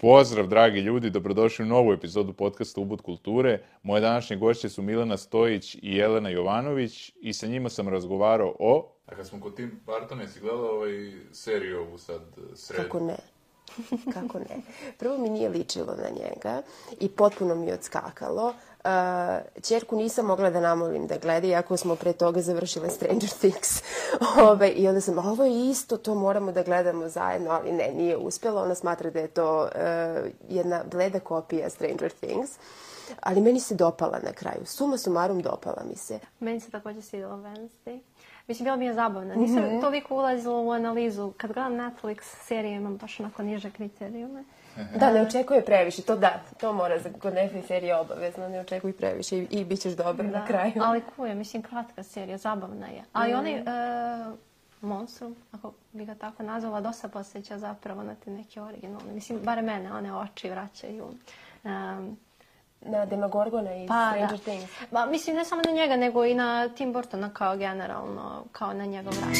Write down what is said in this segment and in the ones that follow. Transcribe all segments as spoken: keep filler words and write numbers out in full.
Pozdrav, dragi ljudi, dobrodošli u novu epizodu podcasta Ubud kulture. Moje današnje gošće su Milena Stojić i Jelena Jovanović i sa njima sam razgovarao o... A kad smo kod Tim Burtona, jesi gledala ovaj seriju ovu sad sred? Kako ne? Kako ne? Prvo mi nije ličilo na njega i potpuno mi je odskakalo. Uh, Ćerku nisam mogla da namolim da gleda, iako smo pre toga završile Stranger Things. Ove, I onda sam, ovo je isto, to moramo da gledamo zajedno, ali ne, nije uspjelo. Ona smatra da je to uh, jedna bleda kopija Stranger Things. Ali meni se dopala na kraju. Suma sumarum dopala mi se. Meni se također svidjela Wednesday. Mislim, bila mi je zabavna. Nisam mm-hmm. toliko ulazila u analizu. Kad gledam Netflix serije, imam baš onako niže kriterijume. Da, ne očekuje previše. To da, to mora za kod Netflix serije obavezno. Ne očekuj previše i, i bit ćeš dobar da, na kraju. Ali kuje, mislim, kratka serija, zabavna je. Ali mm. onaj uh, Monstrum, ako bi ga tako nazvala, dosta posjeća zapravo na te neke originalne. Mislim, bare mene, one oči vraćaju. Um, Na Demogorgona i pa, Stranger da. Things. Ba, mislim, ne samo na njega, nego i na Tim Burtona kao generalno, kao na njegov rad.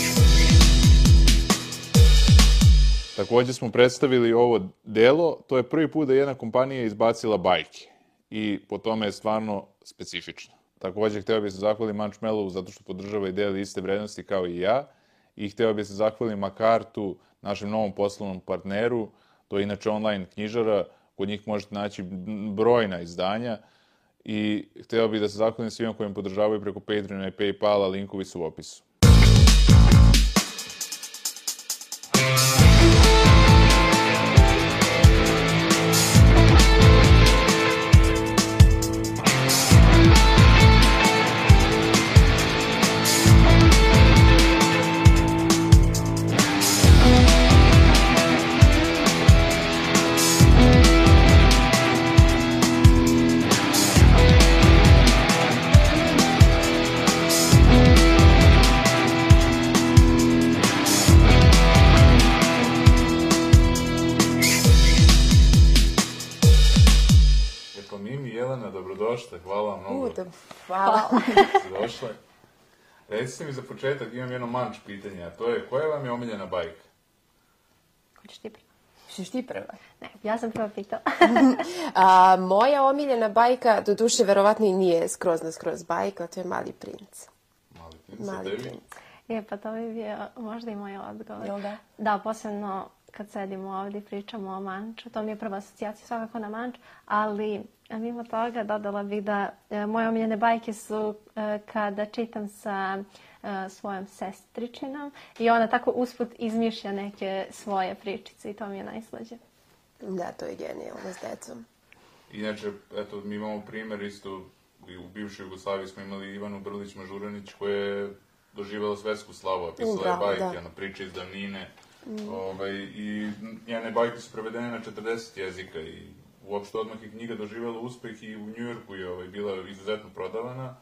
Također smo predstavili ovo delo. To je prvi put da jedna kompanija izbacila bajke. I po tome je stvarno specifično. Također, hteo bih se zahvalim Munchmellovu zato što podržava i deli iste vrednosti kao i ja. I hteo bih se zahvalim Makartu, našem novom poslovnom partneru. To je inače online knjižara. Kod njih možete naći brojna izdanja i htio bih da se zahvalim svima koji me podržavaju preko Patreona i Paypala, linkovi su u opisu. Hvala vam mnogo. Uda, hvala. Si došla. Recite mi za početak, imam jedno manč pitanje, a to je, koja vam je omiljena bajka? Hoćeš ti prva? Hoćeš ti prva? Ne, ja sam prva pitala. a, moja omiljena bajka, do duše, verovatno i nije skroz na skroz bajka, to je Mali princ. Mali princ, Mali tebi? princ. Je, pa to bi bio možda i moj odgovor. Jel da? Da, posebno kad sedimo ovdje i pričamo o Manču, to mi je prva asocijacija svakako na Manč, ali mimo toga dodala bih da e, moje omiljene bajke su e, kada čitam sa e, svojom sestričinom i ona tako usput izmišlja neke svoje pričice i to mi je najslađe. Da, to je genijalno s decom. Inače, eto, mi imamo primjer isto, u bivšoj Jugoslaviji smo imali Ivanu Brlić-Mažuranić koja je doživjela svetsku slavu, pisala je bajke, ono, priče iz davnine. Mm. Ovaj, i njene bajke su prevedene na četrdeset jezika i uopšte odmah je knjiga doživjela uspeh i u Njujorku je ovaj, bila izuzetno prodavana.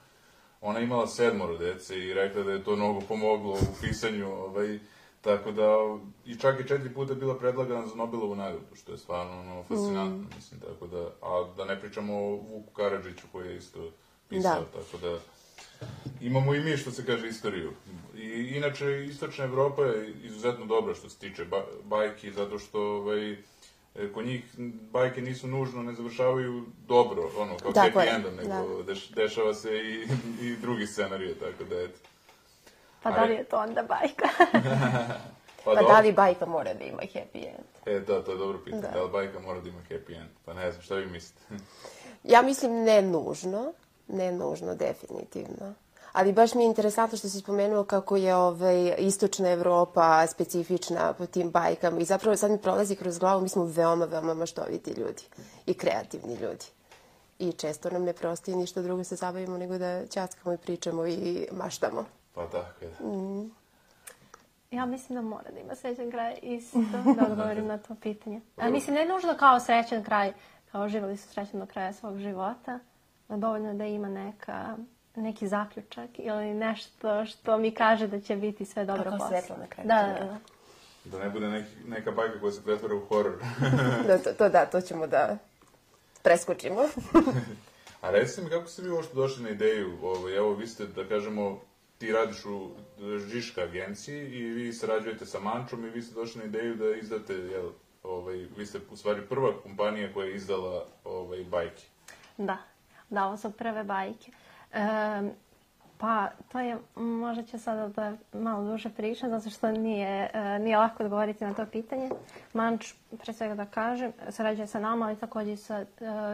Ona je imala sedmoro dece i rekla da je to mnogo pomoglo u pisanju, ovaj, tako da i čak i četiri puta bila predlagana za Nobelovu nagradu, što je stvarno ono, fascinantno, mm. mislim, tako da, a da ne pričamo o Vuku Karadžiću koji je isto pisao, da. Tako da imamo i mi, što se kaže, istoriju. I inače, Istočna Evropa je izuzetno dobra što se tiče ba bajki, zato što ovaj, kod njih bajke nisu nužno, ne završavaju dobro, ono, kao happy endom, nego deš, dešava se i, i drugi scenarije, tako da, eto. Pa da li je to onda bajka? pa pa da li bajka mora da ima happy end? E, da, to je dobro pitanje. Da. Da li bajka mora da ima happy end? Pa ne znam, šta vi mislite? Ja mislim ne nužno. Ne nužno, definitivno. Ali baš mi je interesantno što si spomenuo kako je ovaj, Istočna Evropa specifična po tim bajkama. I zapravo sad mi prolazi kroz glavu, mi smo veoma, veoma maštoviti ljudi. I kreativni ljudi. I često nam ne prostoji ništa drugo se zabavimo nego da ćaskamo i pričamo i maštamo. Pa tako je. Mm. Ja mislim da mora da ima srećan kraj isto, da odgovorim na to pitanje. A, mislim, ne nužno kao srećan kraj, kao živjeli su srećan do kraja svog života. Dovoljno da ima neka, neki zaključak ili nešto što mi kaže da će biti sve dobro posle. Tako svetlo na kraju. Da, da, da. Da ne bude neki, neka bajka koja se pretvara u horor. da, to, to da, to ćemo da preskočimo. A recite mi, kako ste vi uopšte došli na ideju? Ovo, evo, vi ste, da kažemo, ti radiš u Žiška agenciji i vi sarađujete sa Mančom i vi ste došli na ideju da izdate, jel, ovaj, vi ste u stvari prva kompanija koja je izdala ovaj, bajke. Da, da, ovo su prve bajke. E, pa, to je, možda ću sada da malo duže pričam, zato što nije, nije lako odgovoriti na to pitanje. Manč, pre svega da kažem, sarađuje sa nama, ali također sa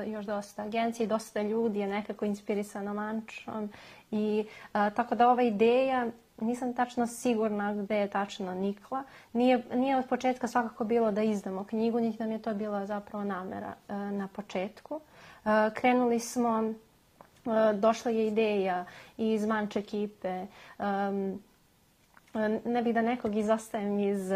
još dosta agencije, dosta ljudi je nekako inspirisano Mančom. I a, tako da ova ideja, nisam tačno sigurna gde je tačno nikla. Nije, nije od početka svakako bilo da izdamo knjigu, niti nam je to bila zapravo namera a, na početku. A, krenuli smo, a, došla je ideja iz Manč ekipe, a, ne bih da nekog izostajem iz,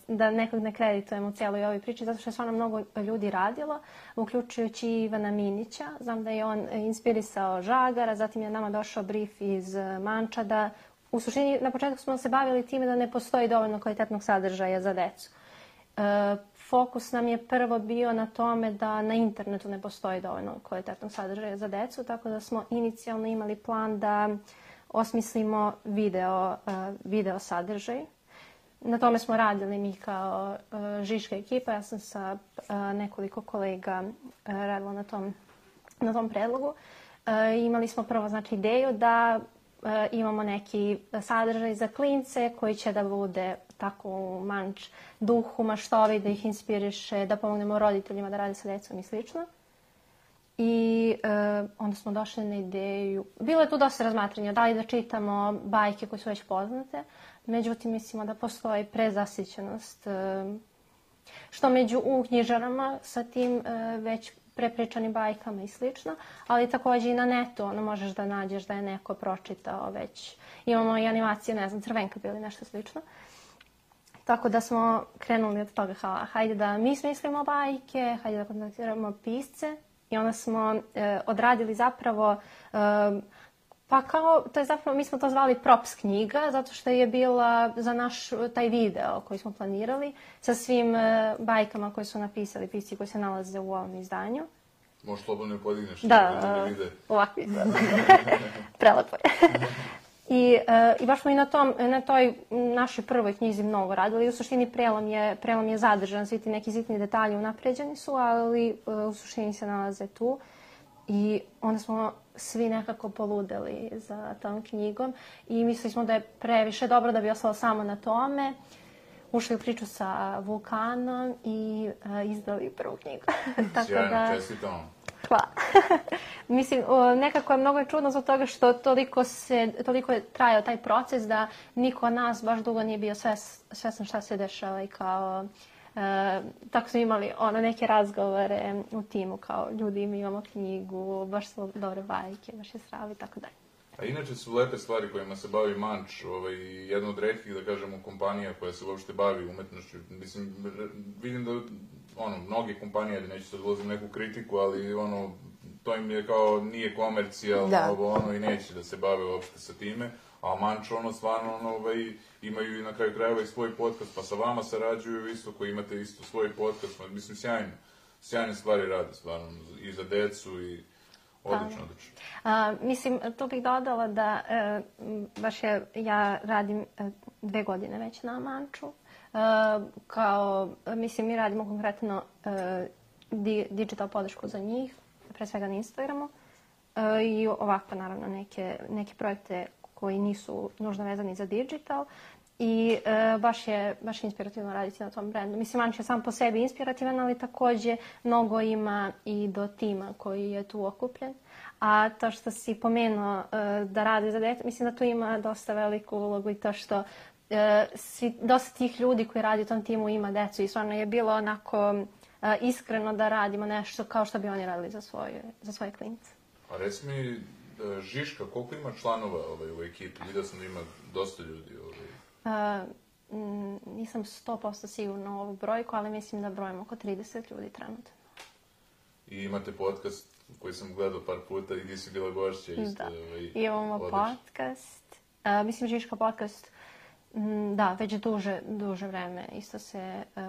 da nekog ne kreditujem u cijeloj ovoj priči, zato što je stvarno mnogo ljudi radilo, uključujući Ivana Minića. Znam da je on inspirisao Žagara, zatim je nama došao brief iz Manča da, u suštini, na početku smo se bavili time da ne postoji dovoljno kvalitetnog sadržaja za decu. E, fokus nam je prvo bio na tome da na internetu ne postoji dovoljno kvalitetnog sadržaja za decu, tako da smo inicijalno imali plan da osmislimo video, uh, video sadržaj. Na tome smo radili mi kao uh, Žiška ekipa. Ja sam sa uh, nekoliko kolega uh, radila na tom, na tom predlogu. Uh, imali smo prvo znači, ideju da uh, imamo neki sadržaj za klince koji će da bude tako u Manč duhu, maštovi, da ih inspiriše, da pomognemo roditeljima da rade sa decom i slično. I e, onda smo došli na ideju, bilo je tu dosta razmatranja, da li da čitamo bajke koje su već poznate, međutim mislimo da postoji prezasićenost, e, što među u knjižarama sa tim e, već prepričanim bajkama i slično, ali također i na netu ono možeš da nađeš da je neko pročitao već. Imamo i animacije, ne znam, Crvenka ili nešto slično. Tako da smo krenuli od toga, ha, hajde da mi smislimo bajke, hajde da kontaktiramo pisce. I onda smo e, odradili zapravo, e, pa kao, to je zapravo, mi smo to zvali props knjiga, zato što je bila za naš taj video koji smo planirali sa svim e, bajkama koje su napisali pisci koji se nalaze u ovom izdanju. Možeš slobodno podigneš. Da, ovako izgleda. Prelepo je. I, e, I baš smo i na, tom, na toj našoj prvoj knjizi mnogo radili. U suštini prelom je, prelom je zadržan, svi ti neki sitni detalji unapređeni su, ali e, u suštini se nalaze tu. I onda smo svi nekako poludeli za tom knjigom i mislili smo da je previše dobro da bi ostalo samo na tome. Ušli u priču sa Vulkanom i e, izdali prvu knjigu. Sjajno, čestitam. Hvala. Mislim, nekako je mnogo čudno zbog toga što toliko, se, toliko je trajao taj proces da niko od nas baš dugo nije bio svestan šta se dešava i kao... E, tako smo imali ono, neke razgovore u timu kao ljudi, mi imamo knjigu, baš su dobre bajke, baš je sravi i tako dalje. A inače su lepe stvari kojima se bavi Manč, ovaj, jedna od retkih, da kažemo, kompanija koja se uopšte bavi umetnošću. Mislim, vidim da ono, mnoge kompanije, neću sad ulazim neku kritiku, ali ono, to im je kao, nije komercijalno, ovo, ono, i neće da se bave uopšte sa time. A Manč, ono, stvarno, ono, ovaj, imaju i na kraju krajeva i svoj podcast, pa sa vama sarađuju isto, koji imate isto svoj podcast. Mislim, sjajno, sjajne stvari rade, stvarno, i za decu, i odlično, odlično. A, mislim, tu bih dodala da, e, baš je, ja radim e, dve godine već na Manču. Uh, kao, mislim, mi radimo konkretno uh, di, digital podršku za njih, pre svega na Instagramu uh, i ovako, naravno, neke, neke projekte koji nisu nužno vezani za digital i uh, baš, je, baš je inspirativno raditi na tom brendu. Mislim, Manč je sam po sebi inspirativan, ali također mnogo ima i do tima koji je tu okupljen. A to što si pomenuo uh, da radi za dete, mislim da tu ima dosta veliku ulogu i to što Uh, svi, dosta tih ljudi koji radi u tom timu ima decu i stvarno je bilo onako uh, iskreno da radimo nešto kao što bi oni radili za svoje, za svoje klince. A reci mi, uh, Žiška, koliko ima članova ovaj, u ekipi? Vidio sam da ima dosta ljudi. Ovaj. Uh, m, nisam sto posto sigurna u ovu brojku, ali mislim da brojimo oko trideset ljudi trenutno. I imate podcast koji sam gledao par puta i gdje si bila gošća isto. Da, ovaj, imamo odlično. Podcast. Uh, mislim, Žiška podcast. Da, već duže, duže vreme isto se uh,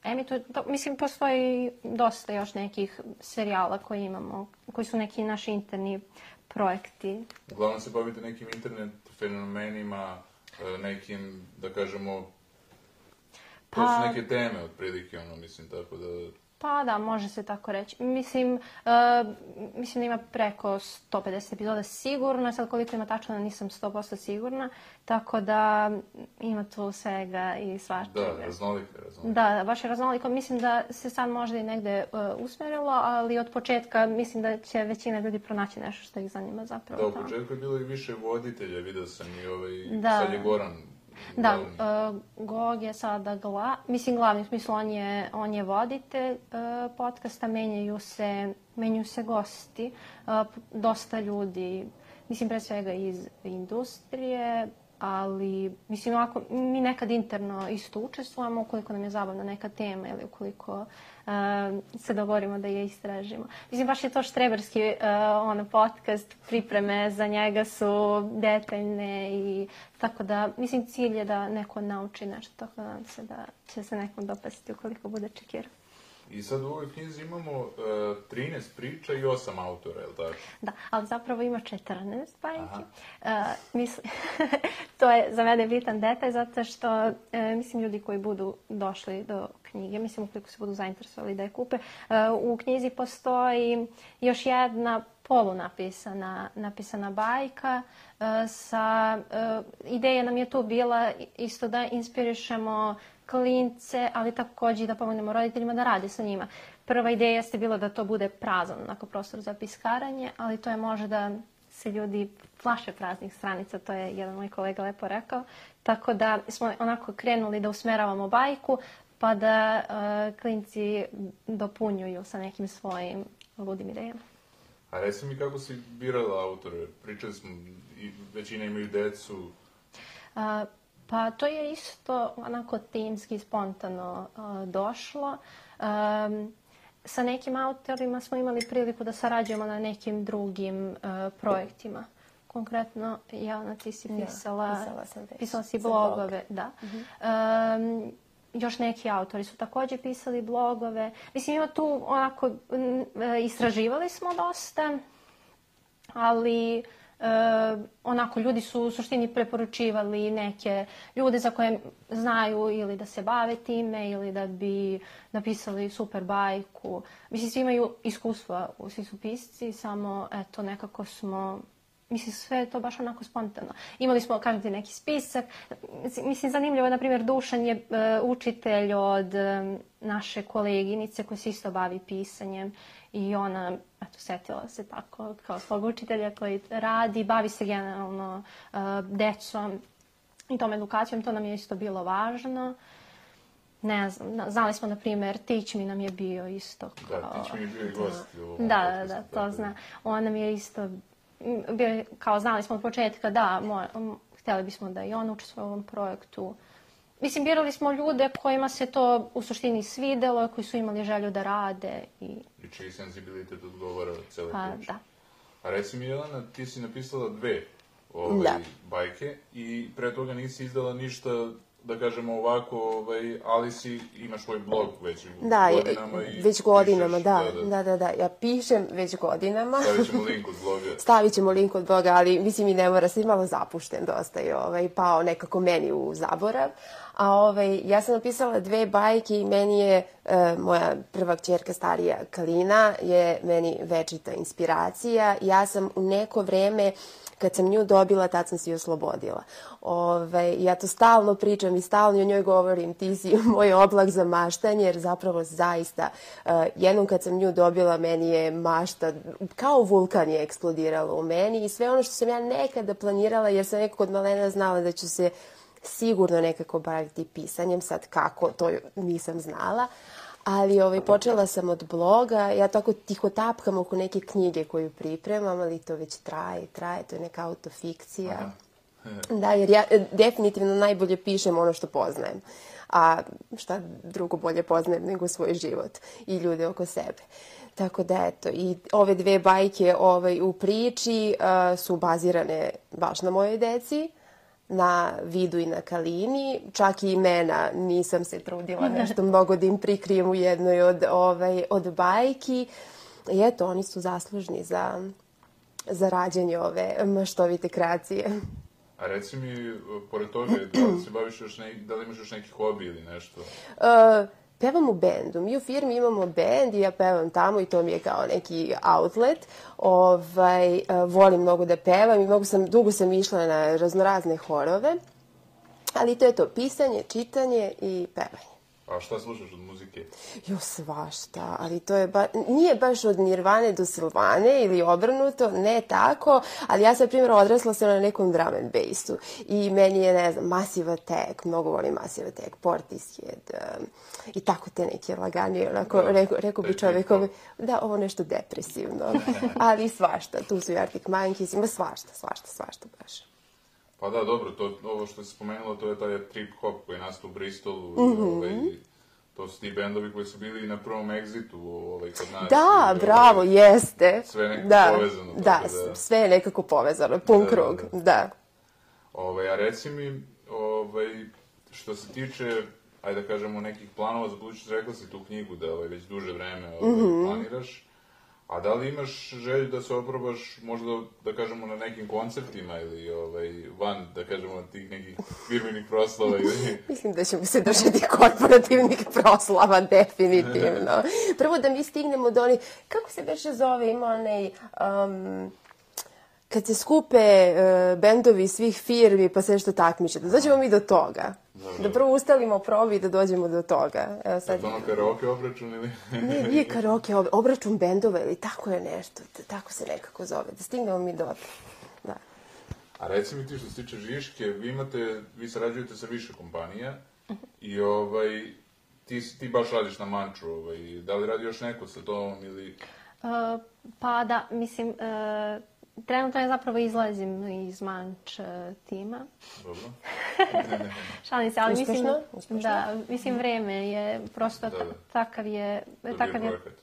emituje. Mislim, postoji dosta još nekih serijala koji imamo, koji su neki naši interni projekti. Uglavnom se bavite nekim internet fenomenima, nekim, da kažemo... To su neke teme, otprilike, ono, mislim, tako da... Pa da, može se tako reći. Mislim, uh, mislim da ima preko sto pedeset epizoda sigurno, sad koliko ima tačno nisam sto posto sigurna, tako da ima tu svega i svačega. Da, raznoliko je raznoliko. Da, baš je raznoliko. Mislim da se sad možda i negde uh, usmjerilo, ali od početka mislim da će većina ljudi pronaći nešto što ih zanima zapravo. Da, u početku je bilo i više voditelja, vidio sam i ovaj, da. Sad je Goran. Da, uh, Gog je sada gla, mislim glavni, u smislu on je, on je voditelj uh, podcasta, menjaju se, menjaju se gosti, uh, dosta ljudi, mislim pre svega iz industrije, ali mislim ovako, mi nekad interno isto učestvujemo ukoliko nam je zabavna neka tema ili ukoliko uh, se dogovorimo da je istražimo. Mislim baš je to štreberski uh, ono, podcast, pripreme za njega su detaljne i tako da, mislim cilj je da neko nauči nešto, tako da nadam se da će se nekom dopasti ukoliko bude čekirao. I sad u ovoj knjizi imamo uh, trinaest priča i osam autora, je li tako? Da, ali zapravo ima četrnaest bajki. Uh, mislim, to je za mene bitan detalj, zato što, uh, mislim, ljudi koji budu došli do knjige, mislim, ukoliko se budu zainteresovali da je kupe, uh, u knjizi postoji još jedna polunapisana napisana bajka uh, sa... Uh, ideja nam je tu bila isto da inspirišemo klince, ali također i da pomognemo roditeljima da rade sa njima. Prva ideja jeste bila da to bude prazan onako prostor za piskaranje, ali to je može da se ljudi plaše praznih stranica, to je jedan moj kolega lepo rekao. Tako da smo onako krenuli da usmeravamo bajku, pa da uh, klinci dopunjuju sa nekim svojim ludim idejama. A reci mi kako si birala autore? Pričali smo, i većina imaju decu. Uh, Pa to je isto onako timski, spontano uh, došlo. Um, sa nekim autorima smo imali priliku da sarađujemo na nekim drugim uh, projektima. Konkretno, Jelena, ti si pisala, ja, pisala, sam pisala si blogove. Da. Uh-huh. Um, još neki autori su također pisali blogove. Mislim, ima tu onako, istraživali smo dosta, ali... Uh, onako, ljudi su u suštini preporučivali neke ljude za koje znaju ili da se bave time ili da bi napisali super bajku. Mislim, svi imaju iskustva, svi su pisci, samo eto, nekako smo... Mislim, sve je to baš onako spontano. Imali smo, kažem ti, neki spisak. Mislim, zanimljivo, na primjer, Dušan je uh, učitelj od um, naše koleginice koja se isto bavi pisanjem i ona, eto, setila se tako kao svog učitelja koji radi, bavi se generalno uh, decom i tom edukacijom. To nam je isto bilo važno. Ne znam, znali smo, na primjer, Tić mi nam je bio isto kao... Da, Tić mi je bio i gost. Da, da, da, to zna. On nam je isto... Bio, kao znali smo od početka da mora, htjeli bismo da i on učestvuje u ovom projektu. Mislim, birali smo ljude kojima se to u suštini svidelo, koji su imali želju da rade. I, I čiji senzibilitet odgovara cele pa, priče. Da. A reci mi, Jelena, ti si napisala dve ovaj, bajke i pre toga nisi izdala ništa, da kažemo ovako, ovaj, ali si imaš svoj blog već da, godinama. I već godinama, pišeš, da, da, da. da, da, da. Ja pišem već godinama. Stavit ćemo link od bloga. Stavit ćemo link od bloga, ali mislim i ne mora, sam malo zapušten dosta i ovaj, pao nekako meni u zaborav. A ovaj, ja sam napisala dve bajke i meni je e, moja prva kćerka starija Kalina je meni večita inspiracija. Ja sam u neko vreme kad sam nju dobila, tad sam se i oslobodila. Ove, ja to stalno pričam i stalno o njoj govorim, ti si moj oblak za maštanje, jer zapravo zaista, uh, jednom kad sam nju dobila, meni je mašta, kao vulkan je eksplodirala u meni i sve ono što sam ja nekada planirala, jer sam nekako od malena znala da ću se sigurno nekako baviti pisanjem, sad kako, to nisam znala. Ali ovaj, počela sam od bloga, ja tako tiho tapkam oko neke knjige koju pripremam, ali to već traje, traje, to je neka autofikcija. Da, jer ja definitivno najbolje pišem ono što poznajem. A šta drugo bolje poznajem nego svoj život i ljude oko sebe. Tako da, eto, i ove dve bajke ovaj, u priči uh, su bazirane baš na mojoj deci, na Vidu i na Kalini. Čak i imena nisam se trudila nešto mnogo da im prikrijem u jednoj od, ovaj, od bajki. I eto, oni su zaslužni za, za rađenje ove maštovite kreacije. A reci mi, pored toga, da li se baviš još neki, da li imaš još neki hobi ili nešto? Uh, pevam u bendu. Mi u firmi imamo bend i ja pevam tamo i to mi je kao neki outlet. Ovaj, uh, volim mnogo da pevam i mnogo sam, dugo sam išla na raznorazne horove. Ali to je to, pisanje, čitanje i pevanje. A šta slušaš od muzike? Jo, svašta, ali to je ba... nije baš od Nirvane do Silvane ili obrnuto, ne tako, ali ja sam, primjer, odrasla sam na nekom drum and bassu i meni je, ne znam, Massive Attack, mnogo volim Massive Attack, Portishead um, i tako te neke laganije, onako, da, rekao, rekao bi čovjekovi, da, ovo nešto depresivno, ali svašta, tu su i Arctic Monkeys, ima svašta, svašta, svašta baš. Pa da, dobro, to, ovo što si spomenula, to je taj trip-hop koji je nastao u Bristolu, mm-hmm. ovaj, to su ti bendovi koji su bili na prvom Exitu ovaj, kod nas. Da, i, bravo, ovaj, jeste. Sve nekako da, povezano. Da, da, sve je nekako povezano, pun da, krug, da. da. da. Ovaj, a reci mi, ovaj, što se tiče, ajde da kažemo, nekih planova za budućnost, rekla si tu knjigu da ovaj, već duže vreme ovaj, mm-hmm. planiraš. A da li imaš želju da se oprobaš možda, da kažemo, na nekim koncertima ili ovaj, van, da kažemo, tih nekih firmenih proslava? Ili... Mislim da ćemo se držati korporativnih proslava, definitivno. Prvo da mi stignemo do onih, kako se beše zove, ima onaj... Um, kad se skupe uh, bendovi svih firmi pa sve što takmiče, da dođemo mi do toga. Dobro. Da prvo ustalimo probi i da dođemo do toga. Evo sad... Je to ono karaoke obračun ili? Ne, nije karaoke obračun bendova ili tako je nešto, tako se nekako zove, da stignemo mi do... Da. A reci mi ti što se tiče Žiške, vi imate, vi sarađujete sa više kompanija uh-huh. i ovaj, ti, ti baš radiš na Manču, ovaj, da li radi još neko sa tom ili... Uh, pa da, mislim... Uh... Trenutno ja zapravo izlazim iz Manč uh, tima. Dobro. Šalim se, ali uspešno, mislim... Uspešno. Da, mislim, vreme je prosto da, da. takav je... To takav je projekat.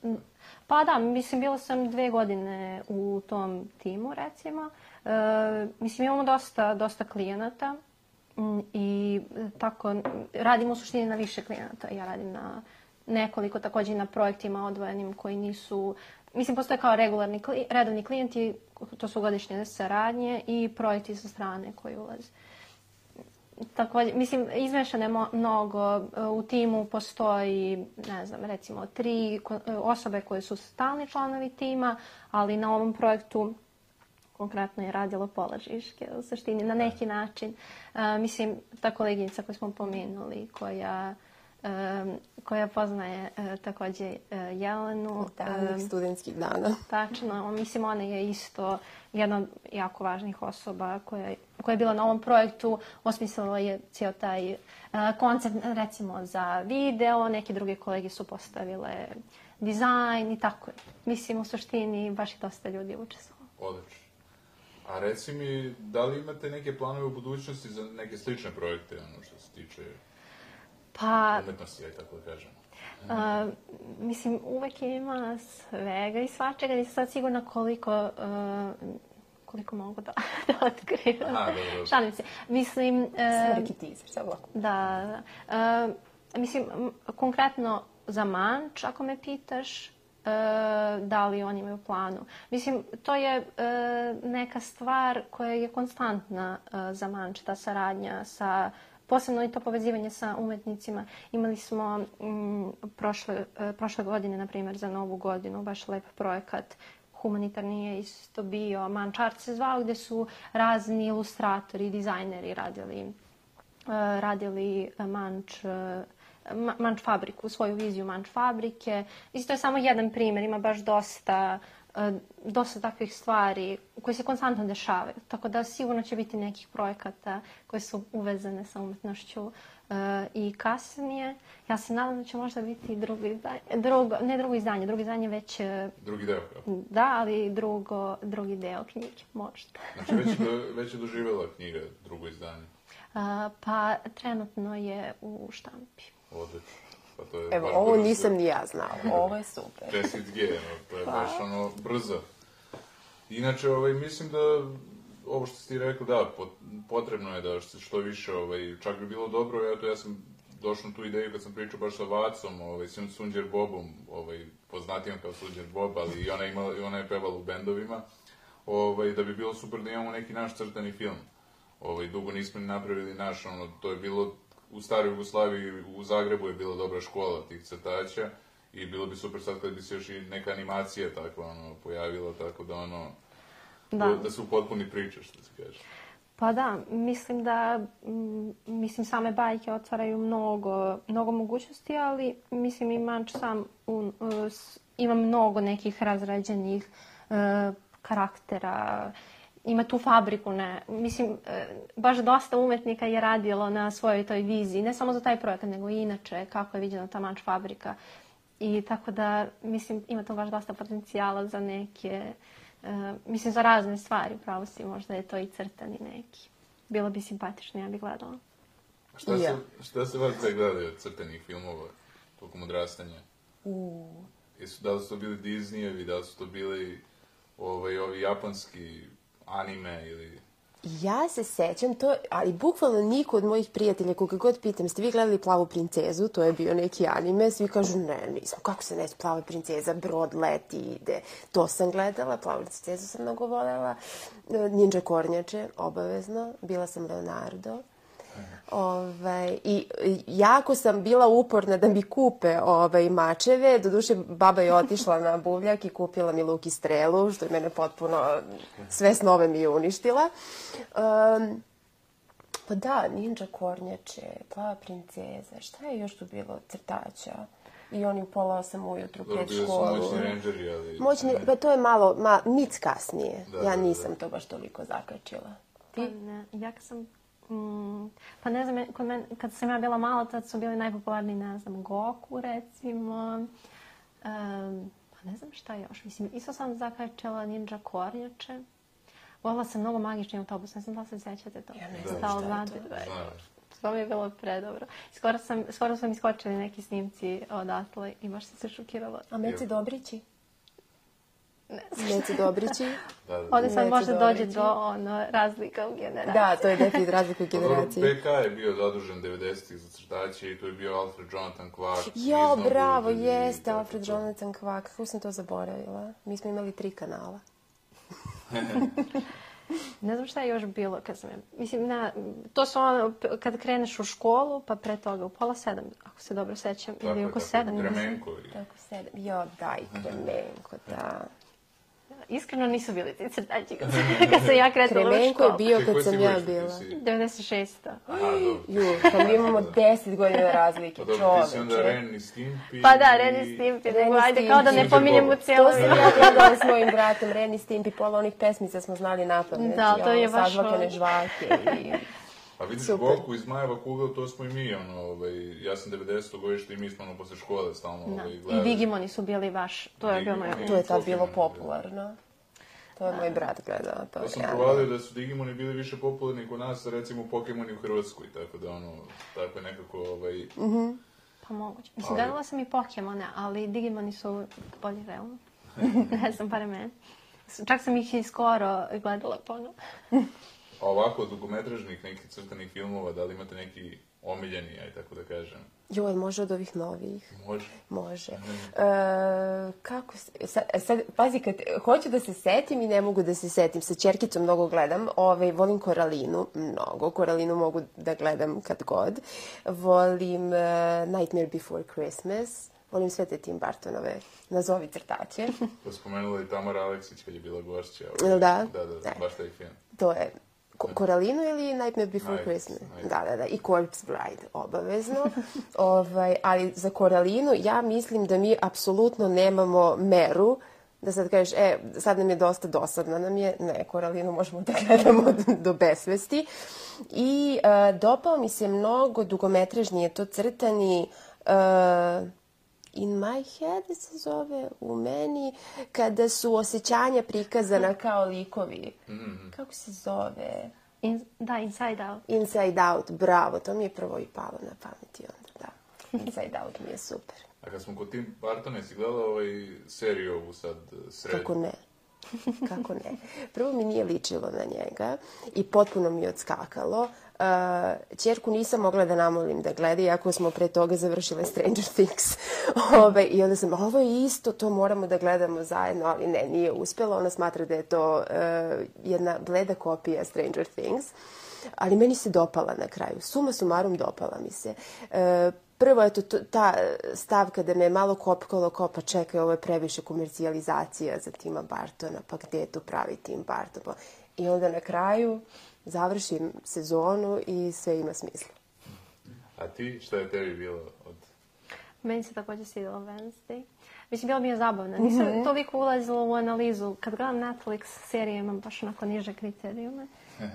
Pa da, mislim, bila sam dve godine u tom timu, recimo. Uh, mislim, imamo dosta, dosta klijenata um, i tako, radim u suštini na više klijenata. Ja radim na nekoliko, također na projektima odvojenim koji nisu... Mislim, postoje kao regularni, redovni klijenti, to su godišnje saradnje i projekti sa strane koji ulaze. Također, mislim, izmešano je mnogo. U timu postoji, ne znam, recimo tri osobe koje su stalni članovi tima, ali na ovom projektu konkretno je radilo pola Žiške, u suštini, na neki način. Uh, mislim, ta koleginica koju smo pomenuli, koja... Um, koja poznaje uh, također uh, Jelenu. Davnih um, studentskih dana. Tačno. Mislim, ona je isto jedna od jako važnih osoba koja, koja je bila na ovom projektu. Osmislila je cijel taj uh, koncept, recimo, za video. Neke druge kolege su postavile dizajn i tako. Mislim, u suštini, baš i dosta ljudi učestvovalo. Odlično. A reci mi, da li imate neke planove u budućnosti za neke slične projekte, ono što se tiče... Pa, umetnosti, aj tako da kažemo. Uh, mislim, uvek ima svega i svačega, nisam sad sigurna koliko, uh, koliko mogu da, da otkrivam. Aha, dobro. Šalim se. Mislim... Uh, Samo neki teaser, samo lako. Da, da. Uh, mislim, konkretno za Manč, ako me pitaš, uh, da li oni imaju planu. Mislim, to je uh, neka stvar koja je konstantna uh, za Manč, ta saradnja sa... Posebno i to povezivanje sa umetnicima. Imali smo m, prošle, prošle godine, na primjer, za Novu godinu, baš lep projekat. Humanitarni je isto bio, Manč Art se zvao, gdje su razni ilustratori, dizajneri radili, uh, radili Manč, uh, Manč fabriku, svoju viziju Manč fabrike. Isto je samo jedan primjer, ima baš dosta... dosta takvih stvari koje se konstantno dešavaju. Tako da sigurno će biti nekih projekata koje su uvezane sa umetnošću uh, i kasnije. Ja se nadam da će možda biti drugo izdanje, drugo, ne drugo izdanje, drugo izdanje već... Drugi deo. Da, ali drugo, drugi deo knjige, možda. Znači već, do, već je doživjela knjiga drugo izdanje? Uh, pa trenutno je u štampi. Odlično. Pa to je Evo, ovo brzo. Nisam ni ja znala. Ovo je super. Čestit G, no, to je pa. Baš ono brzo. Inače, ovaj, mislim da ovo što si ti rekao, da, potrebno je da što više, ovaj, čak bi bilo dobro, eto, ja sam došao na tu ideju kad sam pričao baš sa Vacom, ovaj, Sunđer Bobom, ovaj, poznatijom kao Sunđer Bob, ali i ona, imala, i ona je pevala u bendovima, ovaj, da bi bilo super da imamo neki naš crtani film. ovaj, dugo nismo ni napravili naš, ono, to je bilo u staroj Jugoslaviji, u Zagrebu je bila dobra škola tih crtača i bilo bi super sad kad bi se još i neka animacija takva, ono, pojavila, tako da, ono, da, da se upotpuni priča, što se kaže. Pa da, mislim da, mislim, same bajke otvaraju mnogo, mnogo mogućnosti, ali mislim i Manč sam un, uh, ima mnogo nekih razrađenih uh, karaktera, ima tu fabriku, ne, mislim, uh, baš dosta umetnika je radilo na svojoj toj viziji, ne samo za taj projekat, nego i inače kako je viđena ta Manč fabrika. I tako da, mislim, ima tu baš dosta potencijala za neke... Uh, mislim, za razne stvari, pravo si, možda je to i crtani neki. Bilo bi simpatično, ja bih gledala. A šta, ja. se, šta se vas sve gledali od crtanih filmova tokom odrastanja? Uh. Jesu, da li su to bili Disneyevi, da li su to bili ovaj, ovi japanski anime ili... Ja se sećam to, ali bukvalno niko od mojih prijatelja, koga god pitam, ste vi gledali Plavu princezu, to je bio neki anime, svi kažu ne, nisam, kako se neće Plava princeza, brod leti, ide. To sam gledala, Plavu princezu sam mnogo voljela, Ninja kornjače, obavezno, bila sam Leonardo. Ove, i jako sam bila uporna da mi kupe ove, mačeve. Doduše, baba je otišla na buvljak i kupila mi luk i strelu, što je mene potpuno sve snove mi je uništila. Um, pa da, Ninja kornjače, Plava princeza, šta je još tu bilo crtača? I oni u pola osam ujutru pred školu. Moćni rangeri, ali... Moćni, pa to je malo, ma, nic kasnije. Da, ja nisam da, da. to baš toliko zakačila. Ti? Pa ne, ja sam... Mm, pa ne znam, kod men, kad sam ja bila mala, tad su bili najpopularniji, ne znam, Goku, recimo. Um, pa ne znam šta još. Mislim, isto sam zakačala Ninja kornjače. Volila sam mnogo Magični autobus, ne znam da se sjećate to. Ja ne znam šta je to. To mi je bilo predobro. Skoro sam, skoro sam iskočili neki snimci odatle i baš sam se šokirala. A Meci Dobrići? Ne Meci Dobrići? Da, da. Ovdje sad možda dođe do ono, razlika u generaciji. Da, to je definitivno razlika u generaciji. P K je bio zadužen devedesetih za crtače i tu je bio Alfred Jonathan Kvak. Jo, bravo, jeste Alfred Jonathan Kvak. Kako sam to zaboravila? Mi smo imali tri kanala. Ne znam šta je još bilo kad sam... Mislim, na, to su ono, kad kreneš u školu, pa pre toga u pola sedam, ako se dobro sećam, tako, ili oko tako, sedam. Kremenko. Tako sedam. Jo, daj, Kremenko, da. Iskreno nisu bili ti crtači kad, kad sam ja kretala u školu. Kremenko je bio kad sam ja bila. devedeset šesta. Aha, dobro. Ju, kad mi imamo deset godina razlike, čoveče. Pa dobro, ti si onda Ren i Stimpy. Pa da, Ren i Stimpy, nego ajde kao da ne pominjemo cijelo. To sam ja gledala s mojim bratom, Ren i Stimpy, pola onih pesmica smo znali napamet. Da, to je baš... Sažvakane žvake i... A vidiš, Goku iz Majeva kugle, to smo i mi, ono, ovaj, ja sam devedesetog godište i mi smo, ono, posle škole stalno, ovaj, gledali. I Digimoni su bili baš, to je bilo moje... To je tad bilo popularno. To je moj brat gledao. To, to sam provalio da su Digimoni bili više popularni kod nas, recimo Pokemoni u Hrvatskoj, tako da, ono, tako je nekako, ovaj... Mm-hmm. Pa moguće. Mislim, gledala sam i Pokemone, ali Digimoni su bolji realno. Ne znam, pare mene. Čak sam ih i skoro gledala ponovno. A ovako, od dugometražnih nekih crtanih filmova, da li imate neki omiljeni, aj tako da kažem? Joj, može od ovih novih. Može? Može. E, kako se... Sad, sad, pazi, kad hoću da se setim i ne mogu da se setim. Sa ćerkicom mnogo gledam. Ove, volim Koralinu, mnogo. Koralinu mogu da gledam kad god. Volim uh, Nightmare Before Christmas. Volim sve te Tim Burtonove nazovi crtače. To spomenula i Tamara Aleksić kad je bila gošća. Da? Da, da, da, baš taj film. To je... Koralinu ili Nightmare Before Night, Christmas? Night. Da, da, da. I Corpse Bride, obavezno. ovaj, ali za Koralinu ja mislim da mi apsolutno nemamo meru da sad kažeš, e, sad nam je dosta dosadna nam je. Ne, Koralinu možemo da gledamo do besvesti. I uh, dopao mi se mnogo dugometražnije to crtani... Uh, In my head se zove, u meni, kada su osjećanja prikazana kao likovi. Mm-hmm. Kako se zove? In, da, Inside Out. Inside Out, bravo, to mi je prvo i palo na pameti onda, da. Inside Out mi je super. A kad smo kod Tim Burtona, jesi gledala ovaj seriju ovu sad srednju? Kako ne? Kako ne? Prvo mi nije ličilo na njega i potpuno mi je odskakalo. Uh, ćerku nisam mogla da namolim da gleda, iako smo pre toga završile Stranger Things. Ove, I onda sam, ovo je isto, to moramo da gledamo zajedno, ali ne, nije uspjelo. Ona smatra da je to uh, jedna bleda kopija Stranger Things. ali meni se dopala na kraju. Suma sumarum dopala mi se. E, prvo, eto, ta stavka da me je malo kopkalo, kao pa čekaj, ovo je previše komercijalizacija za Tima Burtona, pa gde je tu pravi Tim Burton? Pa, i onda na kraju završim sezonu i sve ima smisla. A ti, šta je tebi bilo od... Meni se također svidjela Wednesday. Mislim, bila mi je zabavna. Nisam mm-hmm. toliko ulazila u analizu. Kad gledam Netflix serije, imam baš onako niže kriterijume.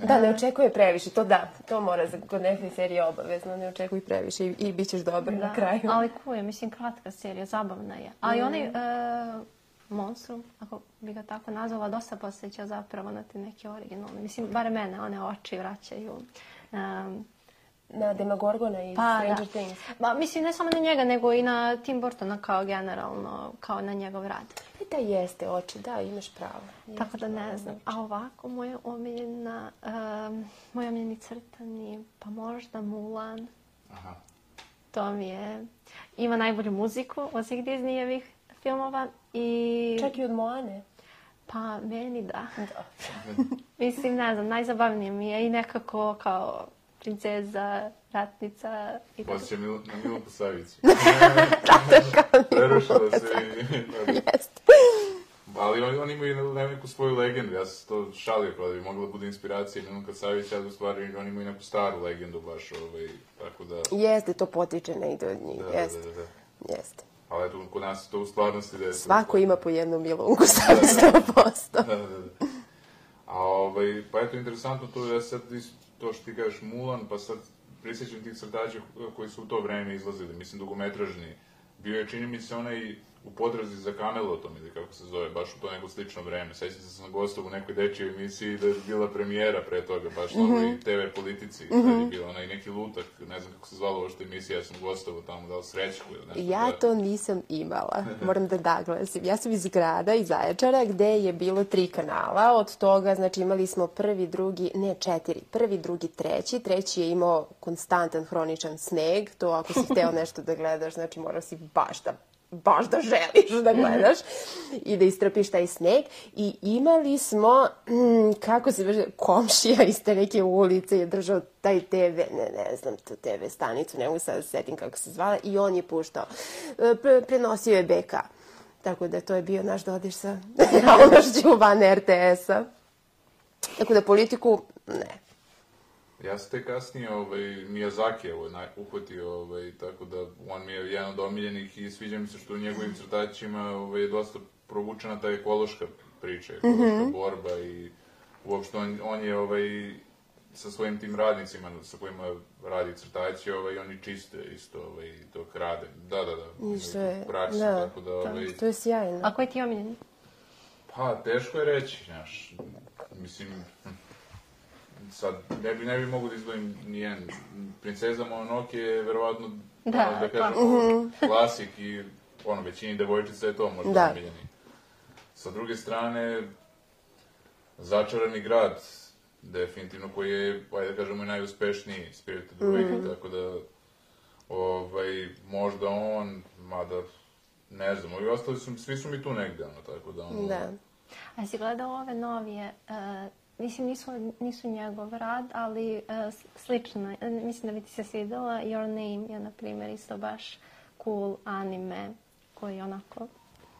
Da, ne očekuje previše. To da, to mora za kod neke serije obavezno. Ne očekuj previše i, i bit ćeš dobra na kraju. Ali kuje, mislim, kratka serija, zabavna je. Ali mm. onaj e, Monstrum, ako bi ga tako nazvala, dosta posjeća zapravo na te neke originalne. Mislim, bare mene, one oči vraćaju. Um, Na Demogorgona i pa, Stranger da. Things. Ba, mislim, ne samo na njega, nego i na Tim Burtona kao generalno, kao na njegov rad. I da jeste oči, da, imaš pravo. Jeste Tako da ne znam. A ovako, moja omiljena, um, moja omiljeni crtani, pa možda Mulan. Aha. To mi je, ima najbolju muziku od svih Disneyjevih filmova i... Čak i od Moane. Pa, meni da. Da. Mislim, ne znam, najzabavnije mi je i nekako kao princeza, ratnica i tako. Posjeća Mil, na Milku Savić. Tako Prerušila se i... Jeste. Ali oni, oni imaju neku svoju legendu. Ja sam to šalio kada bi mogla da bude inspiracija Milka Savić, ali u stvari oni imaju neku staru legendu baš, ovaj, tako da... Jeste, to potiče negdje od njih, da, jeste. Da, da, da. Jeste. Ali eto, kod nas to u stvarnosti desi. Svako ima po jednu Milunku Savić, sto posto. Da, da, da. A ovaj, pa eto, interesantno to je sad to što ti kažeš Mulan, pa sad prisjećam tih crtača koji su u to vreme izlazili, mislim, dugometražni. Bio je, čini mi se, onaj u potrazi za Kamelotom, ili kako se zove, baš u to neko slično vreme. Sjećam se sam gostao u nekoj dečjoj emisiji da je bila premijera pre toga, baš na ovoj te ve politici, mm-hmm. da je bila onaj neki lutak, ne znam kako se zvala ovo što emisija, ja sam gostao tamo, da li Srećku ili nešto. Ja da... to nisam imala, moram da naglasim. Ja sam iz grada, iz Zaječara, gde je bilo tri kanala, od toga, znači imali smo prvi, drugi, ne četiri, prvi, drugi, treći, treći je imao konstantan, hroničan sneg, to ako si hteo nešto da gledaš, znači morao si baš da baš da želiš da gledaš i da istrpiš taj sneg. I imali smo, mm, kako se kaže, komšija iz te neke ulice je držao taj te ve, ne, ne znam, tu te ve stanicu, ne mogu sad da se setim kako se zvala, i on je puštao. Pre, prenosio je be ka. Tako da to je bio naš dodir sa realnošću van er te es-a. Tako da politiku, ne. Ja sam te kasnije ovaj, Miyazakijevo uhvatio, ovaj, tako da on mi je jedan od omiljenih i sviđa mi se što u njegovim crtačima ovaj, je dosta provučena ta ekološka priča, ekološka mm-hmm. borba i uopšte on, on je ovaj, sa svojim tim radnicima sa kojima radi crtači, ovaj, oni čiste isto ovaj, to krade. Da, da, da. I što je, praksu, da, tako da, ovaj, to je sjajno. A koji ti je omiljeni? Pa, teško je reći, znaš, mislim... Sad, ne bi, ne bi mogu da izdvojim nijedan. Princeza Mononoke je verovatno, da, ono, da kažem, uh-huh. klasik i ono, većini devojčica je to možda da. omiljeni. Sa druge strane, Začarani grad, definitivno, koji je, ajde da kažemo, najuspešniji Spirited Away, uh-huh. tako da, ovaj, možda on, mada, ne znam, ovi ostali su, svi su mi tu negde, ono, tako da, ono... Da. A si gledao ove novije, uh, mislim, nisu, nisu njegov rad, ali uh, slično, mislim da bi ti se svidjela. Your Name je, na primjer, isto baš cool anime, koji je onako...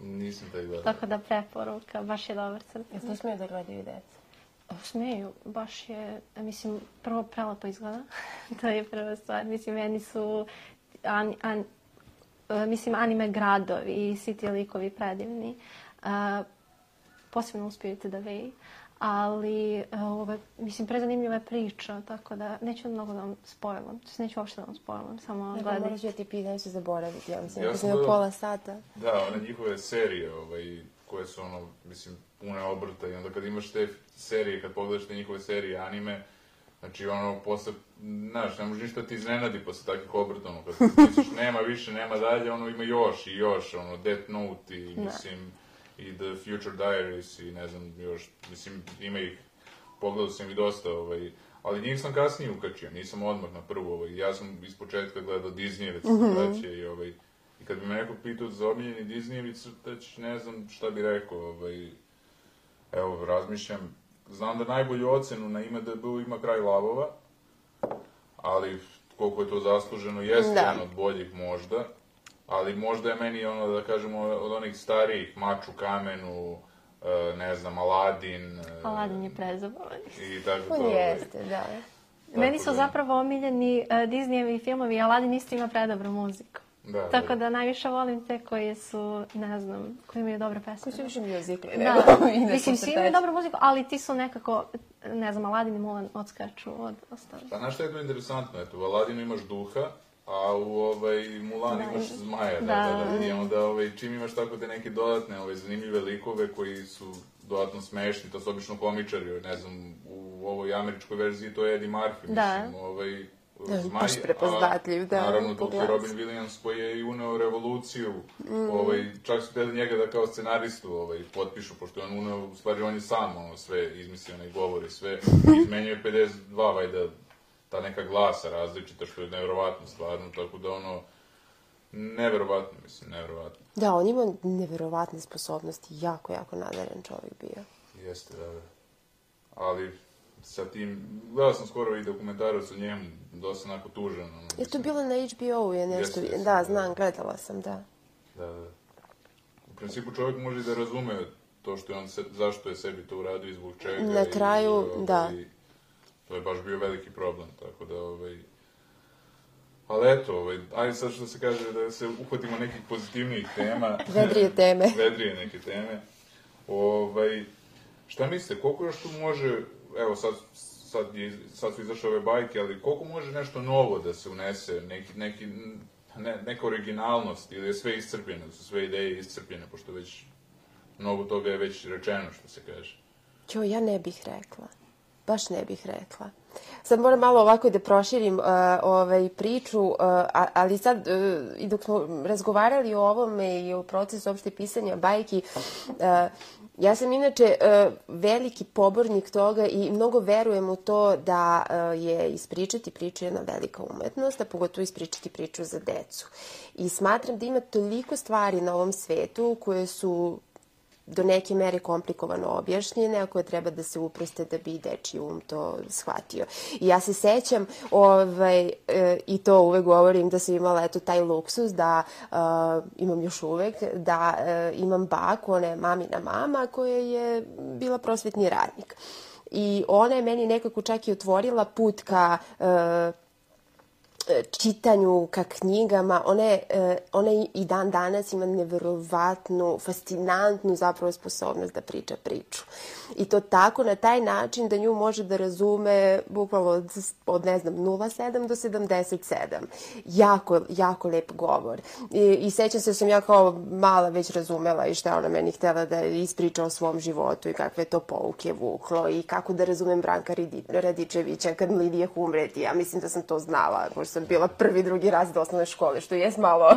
Nisam taj gledao. Tako da preporuka, baš je dobar crtan. Jel to smiju da gledaju i deca? Smeju, baš je, mislim, prvo prelepo izgleda, to je prva stvar. Mislim, meni su, an, an, uh, mislim, anime gradovi i svi ti likovi predivni. Uh, posebno u Spirited Away. Ali, ove, mislim, prezanimljiva je priča, tako da neću mnogo da vam spojlam. Neću uopšte da vam spojlam, samo gledajte. Moraš ja ti pitan, neću zaboraviti, ja mislim, ja ako sam imao pola sata. Da, one njihove serije, ovaj, koje su, ono, mislim, pune obrta i onda kad imaš te serije, kad pogledaš te njihove serije, anime, znači, ono, posle, znaš, ne može ništa ti iznenadi posle takvih obrta, ono, kad misliš nema više, nema dalje, ono, ima još i još, ono, Death Note i, mislim... i The Future Diaries i ne znam još, mislim, ima ih, pogledao sam i dosta, ovaj, ali njih sam kasnije ukačio, nisam odmah na prvu, ovaj, ja sam iz početka gledao Disneyjeve crtače mm-hmm. i, ovaj, i kad bi me neko pitao za omiljeni Disneyevi crtač, ne znam šta bi rekao, ovaj, evo, razmišljam, znam da najbolju ocenu na I M D B-u ima Kraj lavova, ali koliko je to zasluženo, jeste jedan od boljih možda, ali možda je meni ono, da kažemo, od onih starijih, Mač u kamenu, ne znam, Aladin... Aladin je prezabavan. I tako to... On jeste, da. Meni su zapravo omiljeni Disneyevi filmovi, Aladin isto ima predobru muziku. Da, Tako da. da najviše volim te koji su, ne znam, koji imaju dobre pesme. Koji su više muzikli, da. ne? Mislim, svi imaju dobru muziku, ali ti su nekako, ne znam, Aladin i Mulan odskaču od ostalih. Pa znaš što je to interesantno? Eto, u Aladinu imaš duha, a u ovaj, Mulan imaš zmaja. Da, da, da. I onda ovaj, čim imaš tako te neke dodatne ovaj, zanimljive likove koji su dodatno smešni, to su obično komičari, ne znam, u ovoj američkoj verziji to je Eddie Murphy, da. mislim, ovaj... Zmaj, baš prepoznatljiv, da. Naravno, dok je Robin Williams koji je i uneo revoluciju, mm. ovaj, čak su teli njega da kao scenaristu ovaj, potpišu, pošto je on uneo, u stvari on je sam ono, sve izmislio, onaj govori, sve, izmenio je pedeset dva, vajda, ta neka glasa različita, što je nevjerovatno stvarno, tako da ono, neverovatno, mislim, neverovatno. Da, on ima neverovatne sposobnosti, jako, jako nadaren čovjek bio. Jeste, da, da. Ali... sa tim, gledao sam skoro i dokumentarac o njemu, dosta onako tužan. Ono, je to bilo na H B O-u je nešto, yes, yes, da, znam, gledala sam, da. Da, da. U principu čovjek može da razume to što je on, se, zašto je sebi to uradio i zbog čega. Na kraju, i, ovaj, da. To je baš bio veliki problem, tako da, ovaj... Ali eto, ovaj, ajde sad što se kaže da se uhvatimo nekih pozitivnijih tema. Vedrije teme. Vedrije neke teme. Ovaj, šta mislite, koliko još tu može... Evo, sad, sad, je, sad su izašle ove bajke, ali koliko može nešto novo da se unese, neki, neki, ne, neka originalnost, ili je sve iscrpljeno, su sve ideje iscrpljene, pošto već mnogo toga je već rečeno, što se kaže. Ćo, ja ne bih rekla. Baš ne bih rekla. Sad moram malo ovako da proširim uh, ovaj, priču, uh, ali sad, uh, i dok smo razgovarali o ovome i o procesu opšte pisanja bajki, uh, ja sam inače uh, veliki pobornik toga i mnogo verujem u to da uh, je ispričati priču jedna velika umetnost, a pogotovo ispričati priču za decu. I smatram da ima toliko stvari na ovom svetu koje su do neke mere komplikovano objašnjene, a koje treba da se uproste da bi dečiji um to shvatio. I ja se sećam, ovaj, e, i to uvek govorim, da sam imala eto taj luksus, da e, imam još uvek, da e, imam baku, ona je mamina mama, koja je bila prosvetni radnik. I ona je meni nekako čak i otvorila put ka... E, čitanju, ka knjigama. Ona, je, ona i dan danas ima neverovatnu, fascinantnu zapravo sposobnost da priča priču. I to tako, na taj način da nju može da razume bukvalno od, od ne znam, nula sedam do sedamdeset sedam. Jako, jako lep govor. I, i sećam se da sam ja kao mala već razumela i šta ona meni htjela da ispriča o svom životu i kakve to pouke vuklo i kako da razumem Branka Radičevića kad mi Lidija umreti. Ja mislim da sam to znala, možda sam bila prvi, drugi razred osnovne škole, što je malo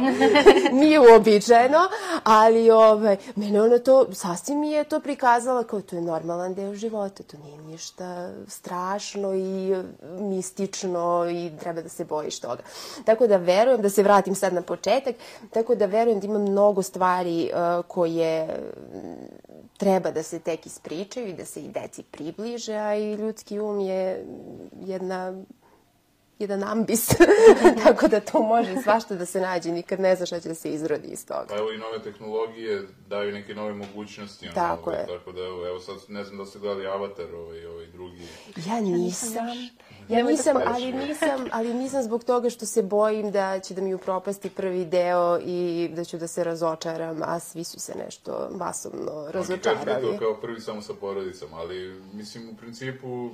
nije uobičajeno, ali ovaj, mene ona to, sasvim mi je to prikazala kao to je normalan deo života, to nije ništa strašno i mistično i treba da se bojiš toga. Tako da verujem, da se vratim sad na početak, tako da verujem da ima mnogo stvari uh, koje treba da se tek ispričaju i da se i deci približe, a i ljudski um je jedna... jedan ambis, tako da to može svašta da se nađe, nikad ne znaš šta će da se izrodi iz toga. Pa evo i nove tehnologije daju neke nove mogućnosti. Ono, tako ovaj, je. Tako da evo, evo sad ne znam da ste gledali Avatar, ovaj, ovaj drugi. Ja nisam. Ja nisam, ali nisam, ali nisam zbog toga što se bojim da će da mi upropasti prvi deo i da ću da se razočaram, a svi su se nešto masovno razočarali. Oni kažu to kao prvi samo sa porodicom, ali mislim u principu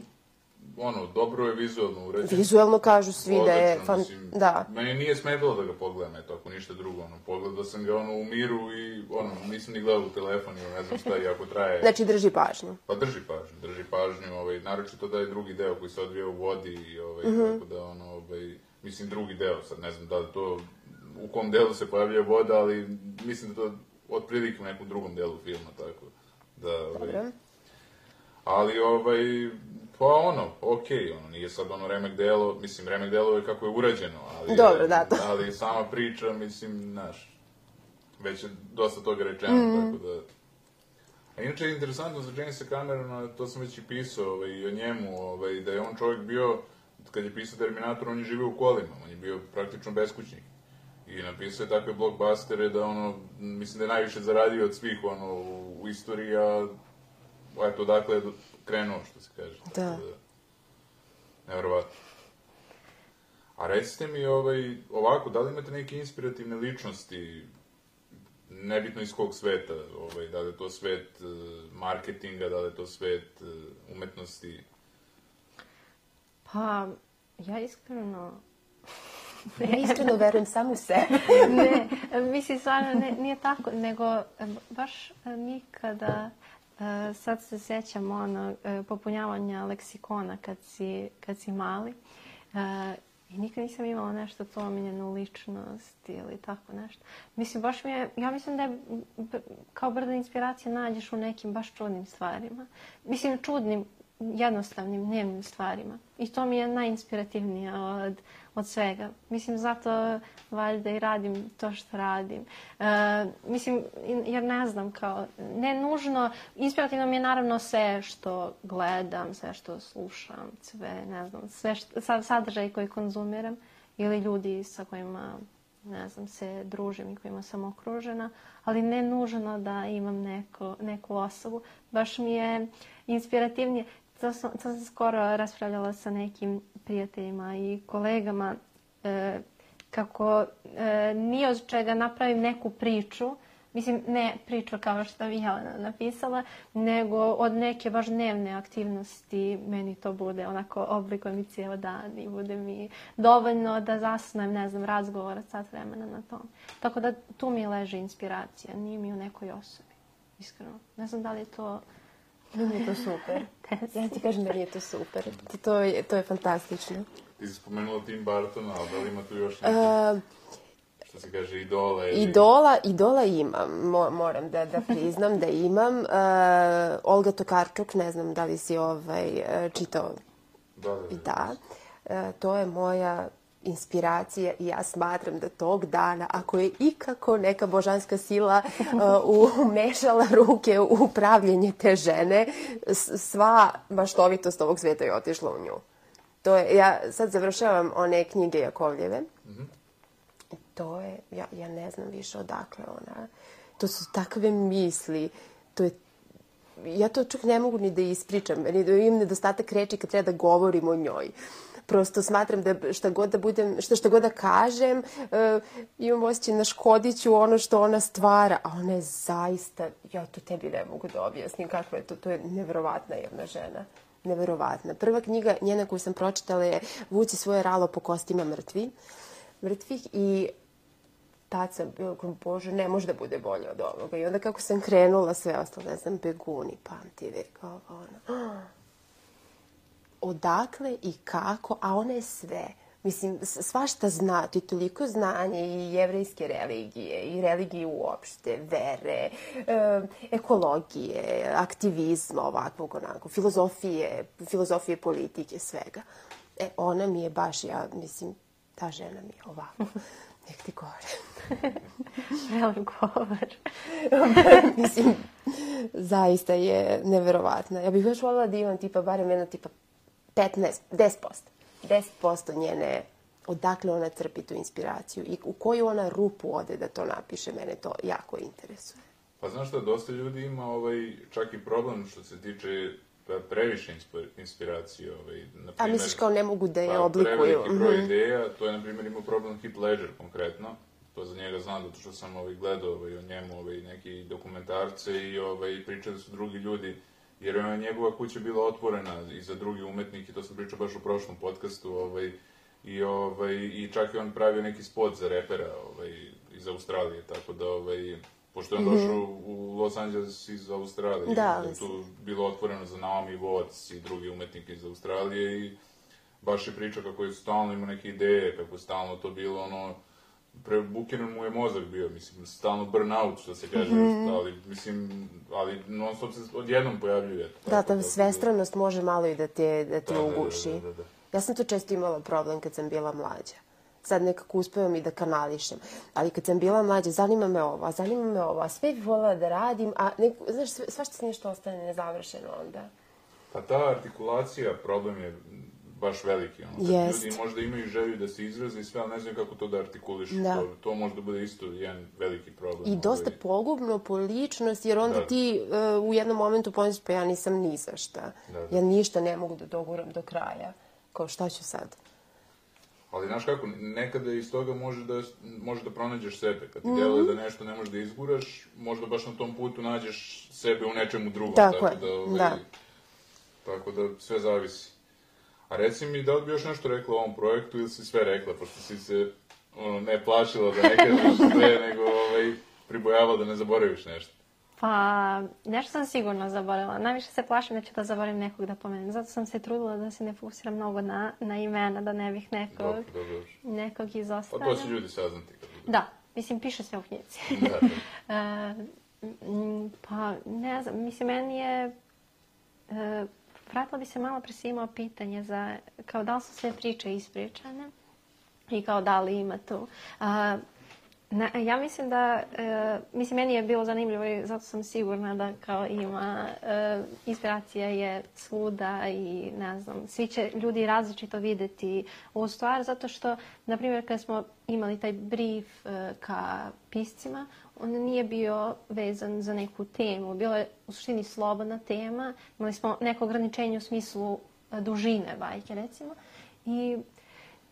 ono, dobro je vizualno uređeno. Vizualno kažu svi da je... Fan... Mislim, da. Meni nije smetalo da ga pogledam, eto, ako ništa drugo, ono, pogledao sam ga, ono, u miru i, ono, nisam ni gledao u telefon ili ne znam šta, i ako traje... Znači, drži pažnju. Pa drži pažnju, drži pažnju, ovaj, naročito da je drugi deo koji se odvija u vodi i, ovaj, mm -hmm. tako da, ono, ovaj, mislim, drugi deo, sad ne znam da li to, u kom delu se pojavlja voda, ali mislim da to otprilike u nekom drugom delu filma, tako da, ovaj... Dobro. Ali, ovaj... Pa ono, okej, okay, ono, nije sad ono remek delo, mislim, remek delo je kako je urađeno, ali, dobro, da, to. Ali sama priča, mislim, znaš, već je dosta toga rečeno, mm. tako da... A inače je interesantno za Jamesa Camerona, to sam već i pisao ovaj, i o njemu, ovaj, da je on čovjek bio, kad je pisao Terminator, on je živio u kolima, on je bio praktično beskućnik. I napisao je takve blockbustere da, ono, mislim da je najviše zaradio od svih, ono, u istoriji, a eto, dakle je krenuo, što se kaže. Da. da nevjerovatno. A recite mi, ovaj, ovako, da li imate neke inspirativne ličnosti, nebitno iz kog sveta, ovaj, da li je to svet uh, marketinga, da li je to svet uh, umetnosti? Pa, ja iskreno... Ja iskreno verujem samo u sebe. Ne, mislim, stvarno ne, nije tako, nego baš mi kada, sad se sjećam ono, popunjavanja leksikona kad si, kad si mali, i nikad nisam imala nešto to omiljenu ličnost ili tako nešto. Mislim, baš mi je, ja mislim da je kao brda inspiracija nađeš u nekim baš čudnim stvarima. Mislim, čudnim, jednostavnim, dnevnim stvarima. I to mi je najinspirativnije od, od svega. Mislim, zato valjda i radim to što radim. E, mislim, jer ne znam, kao, ne nužno, inspirativno mi je naravno sve što gledam, sve što slušam, sve, ne znam, sve što, sadržaj koji konzumiram ili ljudi sa kojima, ne znam, se družim i kojima sam okružena, ali ne nužno da imam neko, neku osobu. Baš mi je inspirativnije. To sam, to sam skoro raspravljala sa nekim prijateljima i kolegama e, kako e, nije od čega napravim neku priču, mislim ne priču kao što bi Jelena napisala, nego od neke baš dnevne aktivnosti meni to bude onako oblikuje mi cijel dan i bude mi dovoljno da zasnujem, ne znam, razgovor sat vremena na tom. Tako da tu mi leži inspiracija, nije mi u nekoj osobi, iskreno. Ne znam da li je to... Meni je to super. Ja ti kažem da mi je to super. To je, to je fantastično. Ti si spomenula Tim Burtona, ali da li ima tu još neki, uh, što se kaže, idola? Ili... Idola, idola imam, Mo, moram da, da priznam da imam. Uh, Olga Tokarczuk, ne znam da li si ovaj, čitao. Da, da, da. Da. Uh, to je moja inspiracija i ja smatram da tog dana, ako je ikako neka božanska sila uh, umešala ruke u pravljenje te žene, sva maštovitost ovog sveta je otišla u nju. To je, ja sad završavam one knjige Jakovljeve. Mm-hmm. To je, ja, ja ne znam više odakle ona. To su takve misli. To je, ja to čak ne mogu ni da ispričam. Imam nedostatak reči kad treba da govorim o njoj. Prosto smatram da šta god da budem, šta, šta god da kažem, uh, imam osjećaj na škodiću ono što ona stvara, a ona je zaista, ja to tebi ne mogu da objasnim kakva je to, to je neverovatna jedna žena. Neverovatna. Prva knjiga njena koju sam pročitala je Vuci svoje ralo po kostima mrtvi, mrtvih i tad sam bila, bože, ne može da bude bolje od ovoga. I onda kako sam krenula sve ostalo, ne znam, Beguni, pamti vek, ovo, ono. Odakle i kako, a ona je sve. Mislim, svašta zna, ti toliko znanja i jevrejske religije, i religije uopšte, vere, e, ekologije, aktivizma ovakvog onako, filozofije, filozofije politike, svega. E, ona mi je baš, ja mislim, ta žena mi je ovako. Nek ti gore. Velik govor. Mislim, zaista je neverovatna. Ja bih još voljela da imam tipa, barem jedna tipa petnaest, deset posto. deset posto njene, odakle ona crpi tu inspiraciju i u koju ona rupu ode da to napiše, mene to jako interesuje. Pa znaš šta, dosta ljudi ima ovaj, čak i problem što se tiče previše inspiracije. Ovaj, na A misliš kao ne mogu da je pa, oblikuju? Preveliki broj ideja, to je na primjer imao problem Heath Ledger konkretno. To za njega znam, zato što sam ovaj, gledao ovaj, o njemu ovaj, neki dokumentarce i ovaj, pričali su drugi ljudi. Jer je njegova kuća bila otvorena i za drugi umetnike, to sam pričao baš u prošlom podcastu, ovaj, i, ovaj, i čak je on pravio neki spot za repera ovaj, iz Australije, tako da, ovaj, pošto je on došao mm-hmm. u Los Angeles iz Australije, da, je tu bilo otvoreno za Naomi Watts i drugi umetnike iz Australije i baš je pričao kako je stalno imao neke ideje, kako je stalno to bilo ono, prebukiran mu je mozak bio, mislim, stalno burnout, što se kaže, mm-hmm. ali, mislim, ali non stop se odjednom pojavljuje. Da, ta svestranost može malo i da te, da te da, uguši. Da, da, da, da. Ja sam to često imala problem kad sam bila mlađa. sad nekako uspevam i da kanališem. Ali kad sam bila mlađa, zanima me ovo, a zanima me ovo, a sve bih voljela da radim, a neko, znaš, svašta se nešto ostane nezavršeno onda. Pa ta artikulacija, problem je baš veliki. Ono. Jest. Ljudi možda imaju želju da se izraze i sve, ali ne znaju kako to da artikulišu. Da. To, to možda bude isto jedan veliki problem. I dosta ovaj. pogubno po ličnost, jer onda Da. ti uh, u jednom momentu pomisliš, pa ja nisam ni za šta. Da, da. Ja ništa ne mogu da doguram do kraja. Kao šta ću sad? Ali znaš kako, nekada iz toga može da, može da pronađeš sebe. Kad ti Mhm. deluje da nešto ne možeš da izguraš, možda baš na tom putu nađeš sebe u nečemu drugom. Tako je, da, ovaj, da. Tako da sve zavisi. A reci mi, da li bi još nešto rekla o ovom projektu ili si sve rekla, pošto si se ono, ne plašila da ne kažeš sve, nego ovaj, pribojavala da ne zaboraviš nešto. Pa, nešto sam sigurno zaboravila. Najviše se plašim da ću da zaboravim nekog da pomenem. Zato sam se trudila da se ne fokusiram mnogo na, na imena, da ne bih nekog, Dobro, dobro, dobro. nekog Pa izostavila. to će ljudi saznati. Kad budu. Da, mislim, piše sve u knjizi. Da, da. E, m, pa, ne znam, mislim, meni je... E, vratila bi se malo pre si imao pitanje za, kao da li su sve priče ispričane i kao da li ima tu. A, na, ja mislim da, e, mislim, meni je bilo zanimljivo i zato sam sigurna da kao ima, e, inspiracija je svuda i ne znam, svi će ljudi različito videti ovu stvar zato što, na primjer, kad smo imali taj brief e, ka piscima, on nije bio vezan za neku temu. Bilo je u suštini slobodna tema. Imali smo neko ograničenje u smislu dužine bajke, recimo. I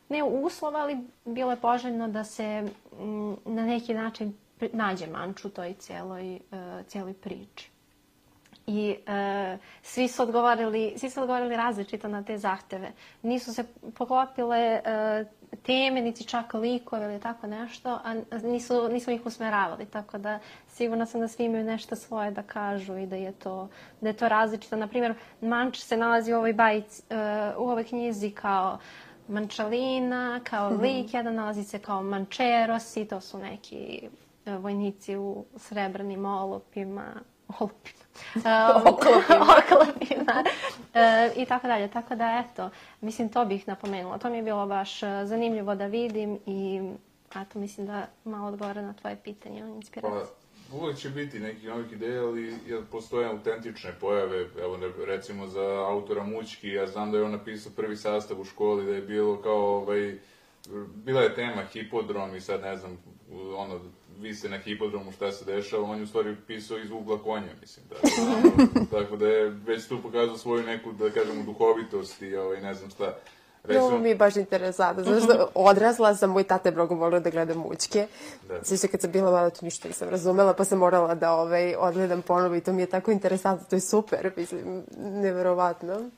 ne uslova, ali bilo je poželjno da se m, na neki način nađe manč u toj cijeloj, uh, cijeloj priči. I uh, svi su odgovorili, svi su odgovorili različito na te zahteve. Nisu se poklopile uh, teme, niti čak likove ili tako nešto, a nisu, nismo ih usmeravali. Tako da sigurna sam da svi imaju nešto svoje da kažu i da je to, da je to različito. Naprimjer, manč se nalazi u ovoj bajici, uh, u ovoj knjizi kao Mančalina, kao lik, jedan nalazi se kao Mančerosi, to su neki uh, vojnici u srebrnim olupima, olupima. Um, oklopima e, i tako dalje. Tako da, eto, mislim, to bih napomenula. To mi je bilo baš zanimljivo da vidim i, eto, mislim da malo odgovara na tvoje pitanje o inspiraciji. Pa, uvijek će biti nekih novih ideja, ali postoje autentične pojave. Evo, recimo za autora Mućki, ja znam da je on napisao prvi sastav u školi, da je bilo kao, ovaj, bila je tema hipodrom i sad, ne znam, ono, vi ste na hipodromu, šta se dešava, on je u stvari pisao iz ugla konja, mislim. Da, ono, tako da je već tu pokazao svoju neku, da kažemo, duhovitost i ovaj, ne znam šta. Recimo... Ovo mi je baš interesantno, zato što odrasla sam, moj tata je mnogo volio da gleda Mućke. Sviše kad sam bila malo, to ništa nisam razumela, pa sam morala da ovaj, odgledam ponovo i to mi je tako interesantno, to je super, mislim, neverovatno.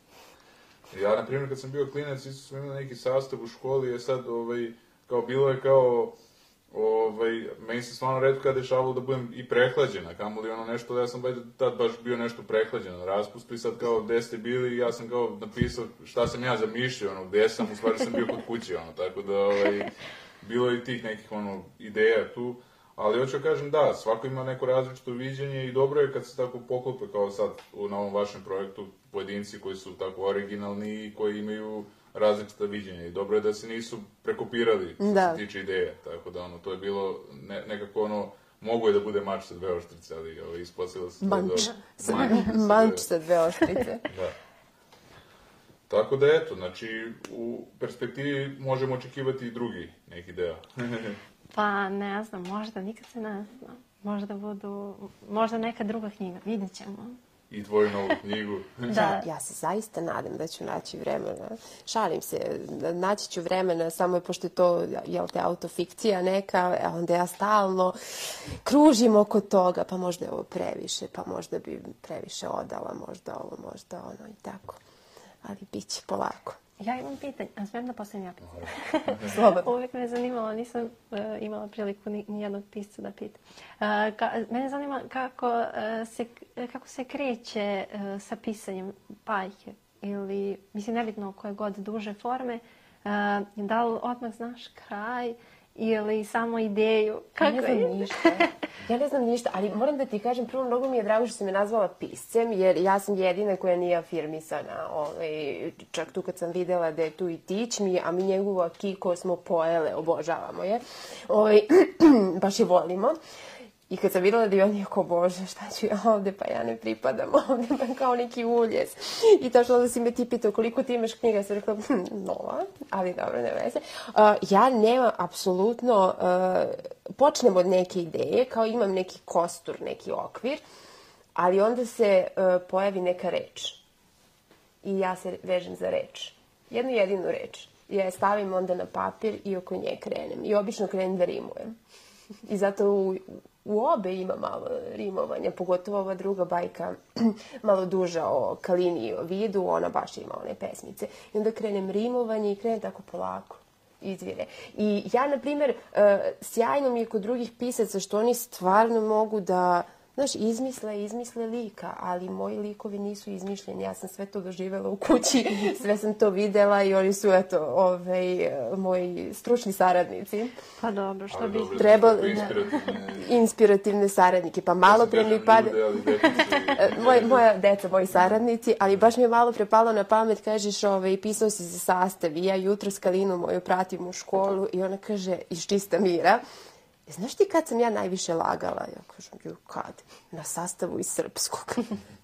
Ja, na primjer, kad sam bio klinac, isto sam imao neki sastav u školi, je sad, ovaj, kao bilo je kao, ovaj, meni se stvarno redko kada dešavalo da budem i prehlađena, kamoli ono nešto, da ja sam tad baš bio nešto prehlađen na raspustu i sad kao gde ste bili i ja sam kao napisao šta sam ja zamišljao, ono, gde sam, u stvari sam bio kod kuće, ono, tako da, ovaj, bilo je i tih nekih, ono, ideja tu, ali hoću kažem da, svako ima neko različito viđenje i dobro je kad se tako poklope kao sad na ovom vašem projektu pojedinci koji su tako originalni i koji imaju različita viđenja i dobro je da se nisu prekopirali što da. se tiče ideje, tako da ono, to je bilo ne, nekako ono, mogo je da bude mač sa dve oštrice, ali ovo, ispostavilo se manč. Da manč, manč sa dve oštrice. Da. Tako da eto, znači u perspektivi možemo očekivati i drugi neki deo. Pa ne znam, možda, nikad se ne zna. Možda budu, možda neka druga knjiga, vidjet ćemo. I tvoju novu knjigu. Da. Ja se zaista nadam da ću naći vremena. Šalim se, naći ću vremena, samo je pošto je to, jel te, autofikcija neka, onda ja stalno kružim oko toga, pa možda je ovo previše, pa možda bi previše odala, možda ovo, možda ono i tako. Ali bit će polako. Ja imam pitanje, a smijem da postavim ja pitanje? Slobodno. Uvijek me je zanimalo, nisam uh, imala priliku ni, ni jednog pisca da pitam. Uh, ka, mene zanima kako, uh, se, kako se kreće uh, sa pisanjem bajke ili, mislim, nebitno koje god duže forme, uh, da li odmah znaš kraj ili samo ideju? Ja ne znam ništa. Ja ne znam ništa, ali moram da ti kažem, prvo mnogo mi je drago što si me nazvala piscem, jer ja sam jedina koja nije afirmisana. Ovaj, čak tu kad sam videla da je tu i Tić mi, a mi njegovu Akiko smo pojele, obožavamo je. Ovaj, baš je volimo. I kad sam videla da je on je kao, bože, šta ću ja ovde, pa ja ne pripadam ovde, pa kao neki uljes. I tačno onda si me ti pitao koliko ti imaš knjiga, ja sam rekla, hm, nova, ali dobro, ne veze. Uh, ja nemam apsolutno, uh, počnem od neke ideje, kao imam neki kostur, neki okvir, ali onda se uh, pojavi neka reč. I ja se vežem za reč. Jednu jedinu reč. Ja je stavim onda na papir i oko nje krenem. I obično krenem da rimujem. I zato u, u obe ima malo rimovanja, pogotovo ova druga bajka, malo duža o Kalini i o Vidu, ona baš ima one pesmice. I onda krenem rimovanje i krenem tako polako, izvire. I ja, na primjer, sjajno mi je kod drugih pisaca što oni stvarno mogu da, znaš, izmisle, izmisle lika, ali moji likovi nisu izmišljeni. Ja sam sve to doživjela u kući, sve sam to videla i oni su, eto, ovaj, moji stručni saradnici. Pa dobro, što bi trebali... Inspirativne saradnike. Pa malo pre mi pada... Moja deca, moji saradnici, ali baš mi je malo pre palo na pamet, kažeš, ovaj, pisao si za sastav i ja jutro s Kalinu moju pratim u školu i ona kaže, iz čista mira, znaš ti kad sam ja najviše lagala? Ja kažem, ju, kad? Na sastavu iz srpskog.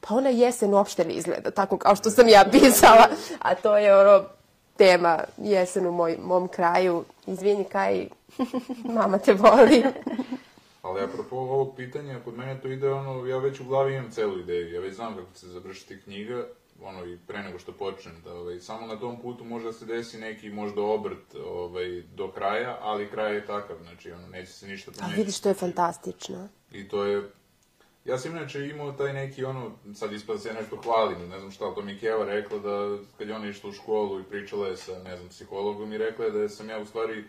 Pa ona jesen uopšte ne izgleda tako kao što sam ja pisala. A to je ono tema jesen u moj, mom kraju. Izvini, Kaj, mama te voli. Ali apropo ovog pitanja, kod mene to ide ono, ja već u glavi imam celu ideju. Ja već znam kako će se završiti knjiga, ono, i pre nego što počnem, da ovaj, samo na tom putu možda se desi neki možda obrt ovaj, do kraja, ali kraj je takav, znači, ono, neće se ništa promeniti. A vidiš, to je fantastično. I to je, ja sam inače imao taj neki, ono, sad ispada se ja nešto hvalim, ne znam šta, ali to mi je Keva rekla da, kad je ona išla u školu i pričala je sa, ne znam, psihologom i rekla je da sam ja u stvari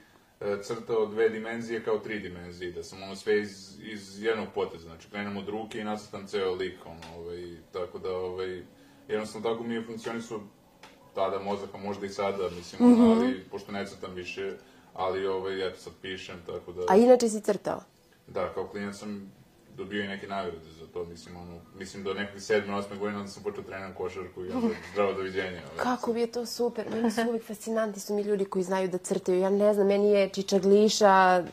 crtao dve dimenzije kao tri dimenzije, da sam ono sve iz, iz jednog poteza, znači krenem od ruke i nacrtam ceo lik, ono, ovaj, tako da, ovaj, jednostavno tako mi je funkcionisao tada mozaka, možda i sada, mislim, mm-hmm. ali, pošto ne crtam više, ali, ovaj, eto, sad pišem, tako da... A inače si crtao? Da, kao klinac sam dobio i neke nagrade za to, mislim, ono, mislim do nekog sedme, osme godine, onda sam počeo trenirati košarku i onda zdravo doviđenja. Ovaj. Kako bi je to super, meni su uvijek fascinanti su mi ljudi koji znaju da crtaju, ja ne znam, meni je čičagliša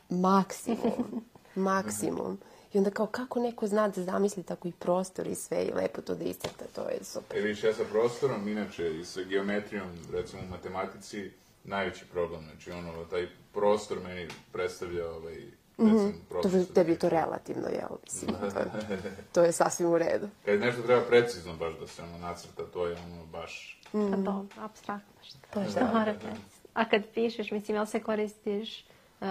maksimum, maksimum. I onda kao, kako neko zna da zamisli tako i prostor i sve i lepo to da iscrta, to je super. E, vidiš, ja sa prostorom, inače, i sa geometrijom, recimo u matematici, najveći problem, znači, ono, taj prostor meni predstavlja, ovaj, Mm-hmm. To je tebi to relativno, jel? Mislim, to, je, to je sasvim u redu. Kad nešto treba precizno baš da se ono nacrta, to je ono baš... Mm. Pa dobro, apstraktno što. To je što mora precizno. A kad pišeš, mislim, jel se koristiš uh,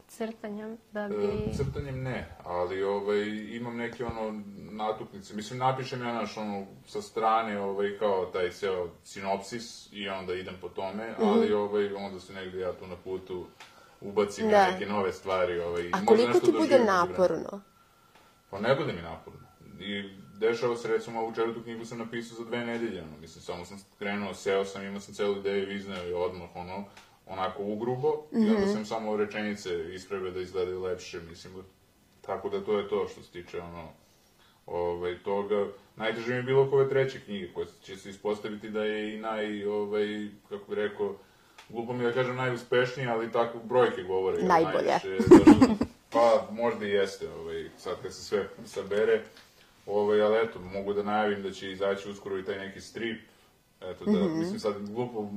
crtanjem da bi... Uh, crtanjem ne, ali ovaj, imam neke ono natuknice. Mislim, napišem ja naš ono sa strane ovaj, kao taj ceo sinopsis i onda idem po tome, mm-hmm. ali ovaj, onda se negdje ja tu na putu ubacim da. neke nove stvari. Ovaj, a koliko ti bude naporno? Pa ne bude mi naporno. I dešava se, recimo, ovu četvrtu knjigu sam napisao za dve nedelje. Ono. Mislim, samo sam krenuo, seo sam, imao sam celu ideju, izneo i odmah, ono, onako ugrubo. Mm-hmm. I onda sam samo rečenice ispravio da izgledaju lepše, mislim. Tako da to je to što se tiče, ono, ovaj, toga. Najteže mi je bilo oko ove treće knjige, koje će se ispostaviti da je i naj, ovaj, kako bih rekao, glupo mi da kažem najuspešnije, ali tako brojke govore. Najbolje. Najviše, pa možda i jeste, ovaj, sad kad se sve sabere. Ovaj, ali eto, mogu da najavim da će izaći uskoro i taj neki strip. Eto, da, mm-hmm. mislim sad glupo, u,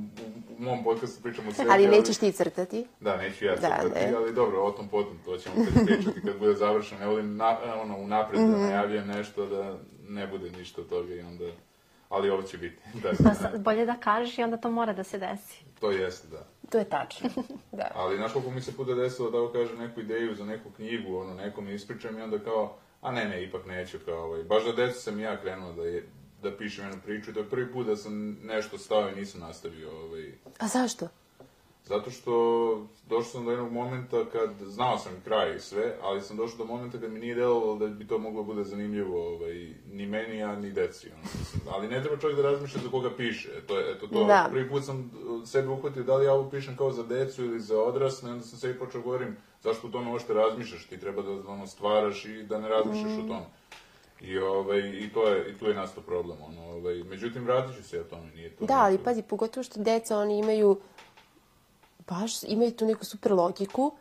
u mom podcastu pričam o sebi. Ali nećeš ti crtati? Da, neću ja crtati, da, ali dobro, o tom potom, to ćemo kad pričati kad bude završeno. Ne volim na, ono, unapred mm-hmm. da najavljam nešto, da ne bude ništa od toga i onda... Ali ovo će biti. Da, pa bolje da kažeš i onda to mora da se desi. To jeste, da. To je tačno, da. Ali znaš koliko mi se puta desilo da ovo kažem neku ideju za neku knjigu, ono, nekom ispričam i onda kao, a ne, ne, ipak neću, kao ovaj. Baš da decu sam ja krenuo da, je, da pišem jednu priču i to je prvi put da sam nešto stao i nisam nastavio. Ovaj. A zašto? Zato što došao sam do jednog momenta kad, znao sam kraj i sve, ali sam došao do momenta kad mi nije delovalo da bi to moglo bude zanimljivo ovaj, ni meni, a ni deci. Ono, mislim. Ali ne treba čovjek da razmišlja za koga piše. To je, eto, to, da. Prvi put sam sebe uhvatio da li ja ovo pišem kao za decu ili za odrasle, onda sam sebi počeo govorim zašto o tome uopšte razmišljaš, ti treba da ono, stvaraš i da ne razmišljaš mm. o tome. I, ovaj, i, to je, i tu je nastao problem. Ono, ovaj, međutim, vratit ću se ja tome. Nije to da, ali pazi, pogotovo što deca, oni imaju baš imaju tu neku super logiku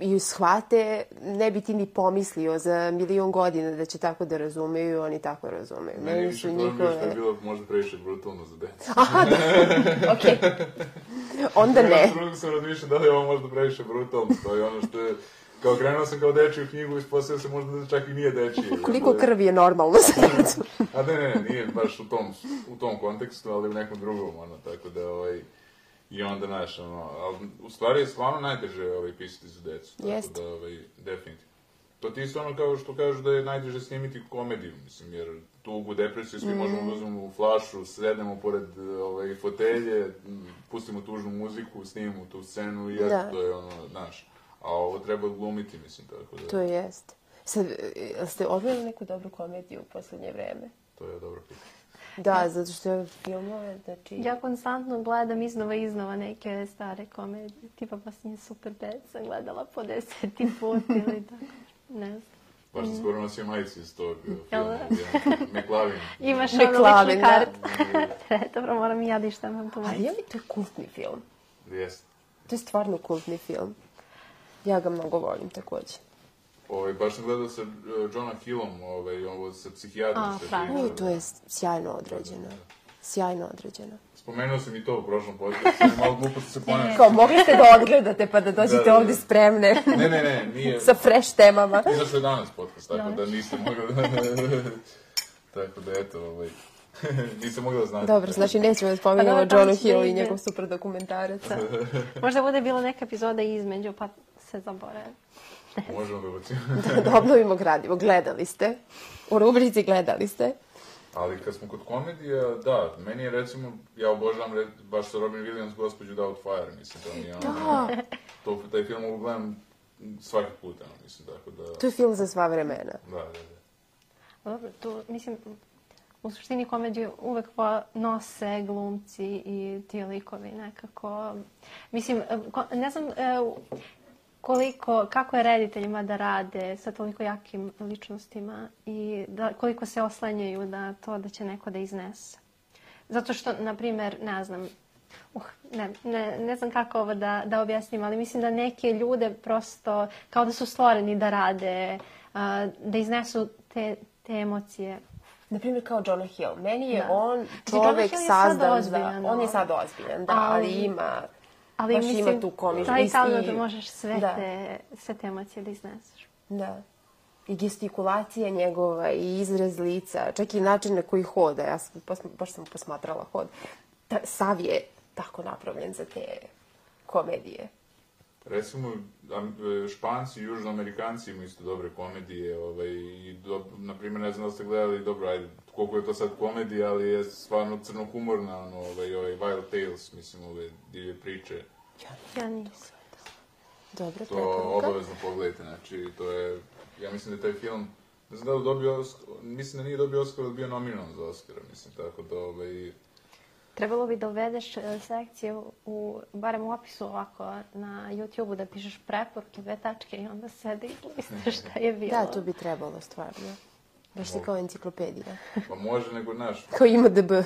i shvate, ne bi ti ni pomislio za milion godina da će tako da razumeju, oni tako razumeju. Meni je više problem bio što je bilo možda previše brutalno za decu. Aha, da, okej. Onda ne. Ja drugo sam razmišljao da li je ovo možda previše brutalno, to je ono što je... Kao krenuo sam kao dečiju knjigu i ispostavio se možda da čak i nije dečije. Koliko krvi je normalno za decu? A ne, ne, nije baš u tom, u tom kontekstu, ali u nekom drugom, ono, tako da, ovaj... I onda, znaš, ono, ali u stvari je stvarno najteže ovaj, pisati za decu. Tako Jest. da, ovaj, definitivno. To ti isto ono kao što kažu da je najteže snimiti komediju, mislim, jer tugu, depresiju, svi mm. možemo da uzmemo u flašu, sednemo pored ovaj, fotelje, pustimo tužnu muziku, snimimo tu scenu i eto, to je ono, znaš. A ovo treba glumiti, mislim, tako da... To jest. Sad, ste odgledali neku dobru komediju u poslednje vreme? To je dobro pitanje. Da, zato što je filmove, znači... Ja konstantno gledam iznova i iznova neke stare komedije. Tipa posljednje Super pet sam gledala po deseti put ili tako. Ne znam. Baš sam skoro nosio majicu iz tog filma. McLovin. Imaš ono ličnu kartu. Dobro, moram i ja da ištamam tu majicu. Ali je li to je kultni film? Jeste. To je stvarno kultni film. Ja ga mnogo volim takođe. Ovaj, baš sam gledao sa uh, Johna Hillom, ovaj, ovo sa psihijatrom. O, to je sjajno određeno. Sjajno određeno. Spomenuo sam i to u prošlom podcastu, malo glupo se ponašao. Kao, mogli ste da odgledate pa da dođete da, da, da. ovdje spremne. Ne, ne, ne, nije. Sa fresh temama. Izašao je danas podcast, tako da niste mogli da... Tako da, eto, ovaj... Nisam mogla da znam. Dobro, znači nećemo da spominjamo pa Johnu Hill i njegov super dokumentarac. Možda bude bila neka epizoda između, pa se zaboravi. Možemo da ubacimo. Da, da obnovimo gradivo. Gledali ste. U rubrici gledali ste. Ali kad smo kod komedija, da, meni je recimo, ja obožavam red, baš sa Robin Williams Gospođu Doubtfire, mislim, to mi je ono... Da. To, taj film mogu gledam svaki put, ono, mislim, tako da... To je film za sva vremena. Da, da, da. Dobro, tu, mislim, u suštini komediju uvek nose glumci i ti likovi nekako. Mislim, ne znam... koliko, kako je rediteljima da rade sa toliko jakim ličnostima i da, koliko se oslanjaju na to da će neko da iznese. Zato što, na primjer, ne znam, uh, ne, ne, ne znam kako ovo da, da objasnim, ali mislim da neke ljude prosto kao da su stvoreni da rade, uh, da iznesu te, te emocije. Na primjer kao Jonah Hill. Meni je da. on čovek sazdan za... On je sad ozbiljan, da, ali, ali ima... Ali baš mislim, ima tu komičnu. taj talent da možeš sve, da. te, sve te emocije da izneseš. Da. I gestikulacija njegova i izraz lica, čak i način na koji hoda. Ja sam, baš sam posmatrala hod. Ta, sav je tako napravljen za te komedije. Recimo, Španci i Južnoamerikanci imaju isto dobre komedije. Ovaj, i do, na primjer, ne znam da ste gledali, dobro, ajde, koliko je to sad komedija, ali je stvarno crnohumorna, ono, ovaj, ovaj Wild Tales, mislim, ove divlje priče. Ja, ja nisam. Dobro, to preporuka. Obavezno pogledajte, znači, to je, ja mislim da je taj film, ne znam da li dobio, mislim da nije dobio Oscar, ali bio nominovan za Oscara, mislim, tako da, ovaj... Trebalo bi da uvedeš sekciju, u, barem u opisu ovako na YouTube-u, da pišeš preporuke, dve tačke i onda sedi i listaš šta je bilo. Da, to bi trebalo stvarno. Baš si kao enciklopedija. Pa može, nego, znaš... Kao I M D B.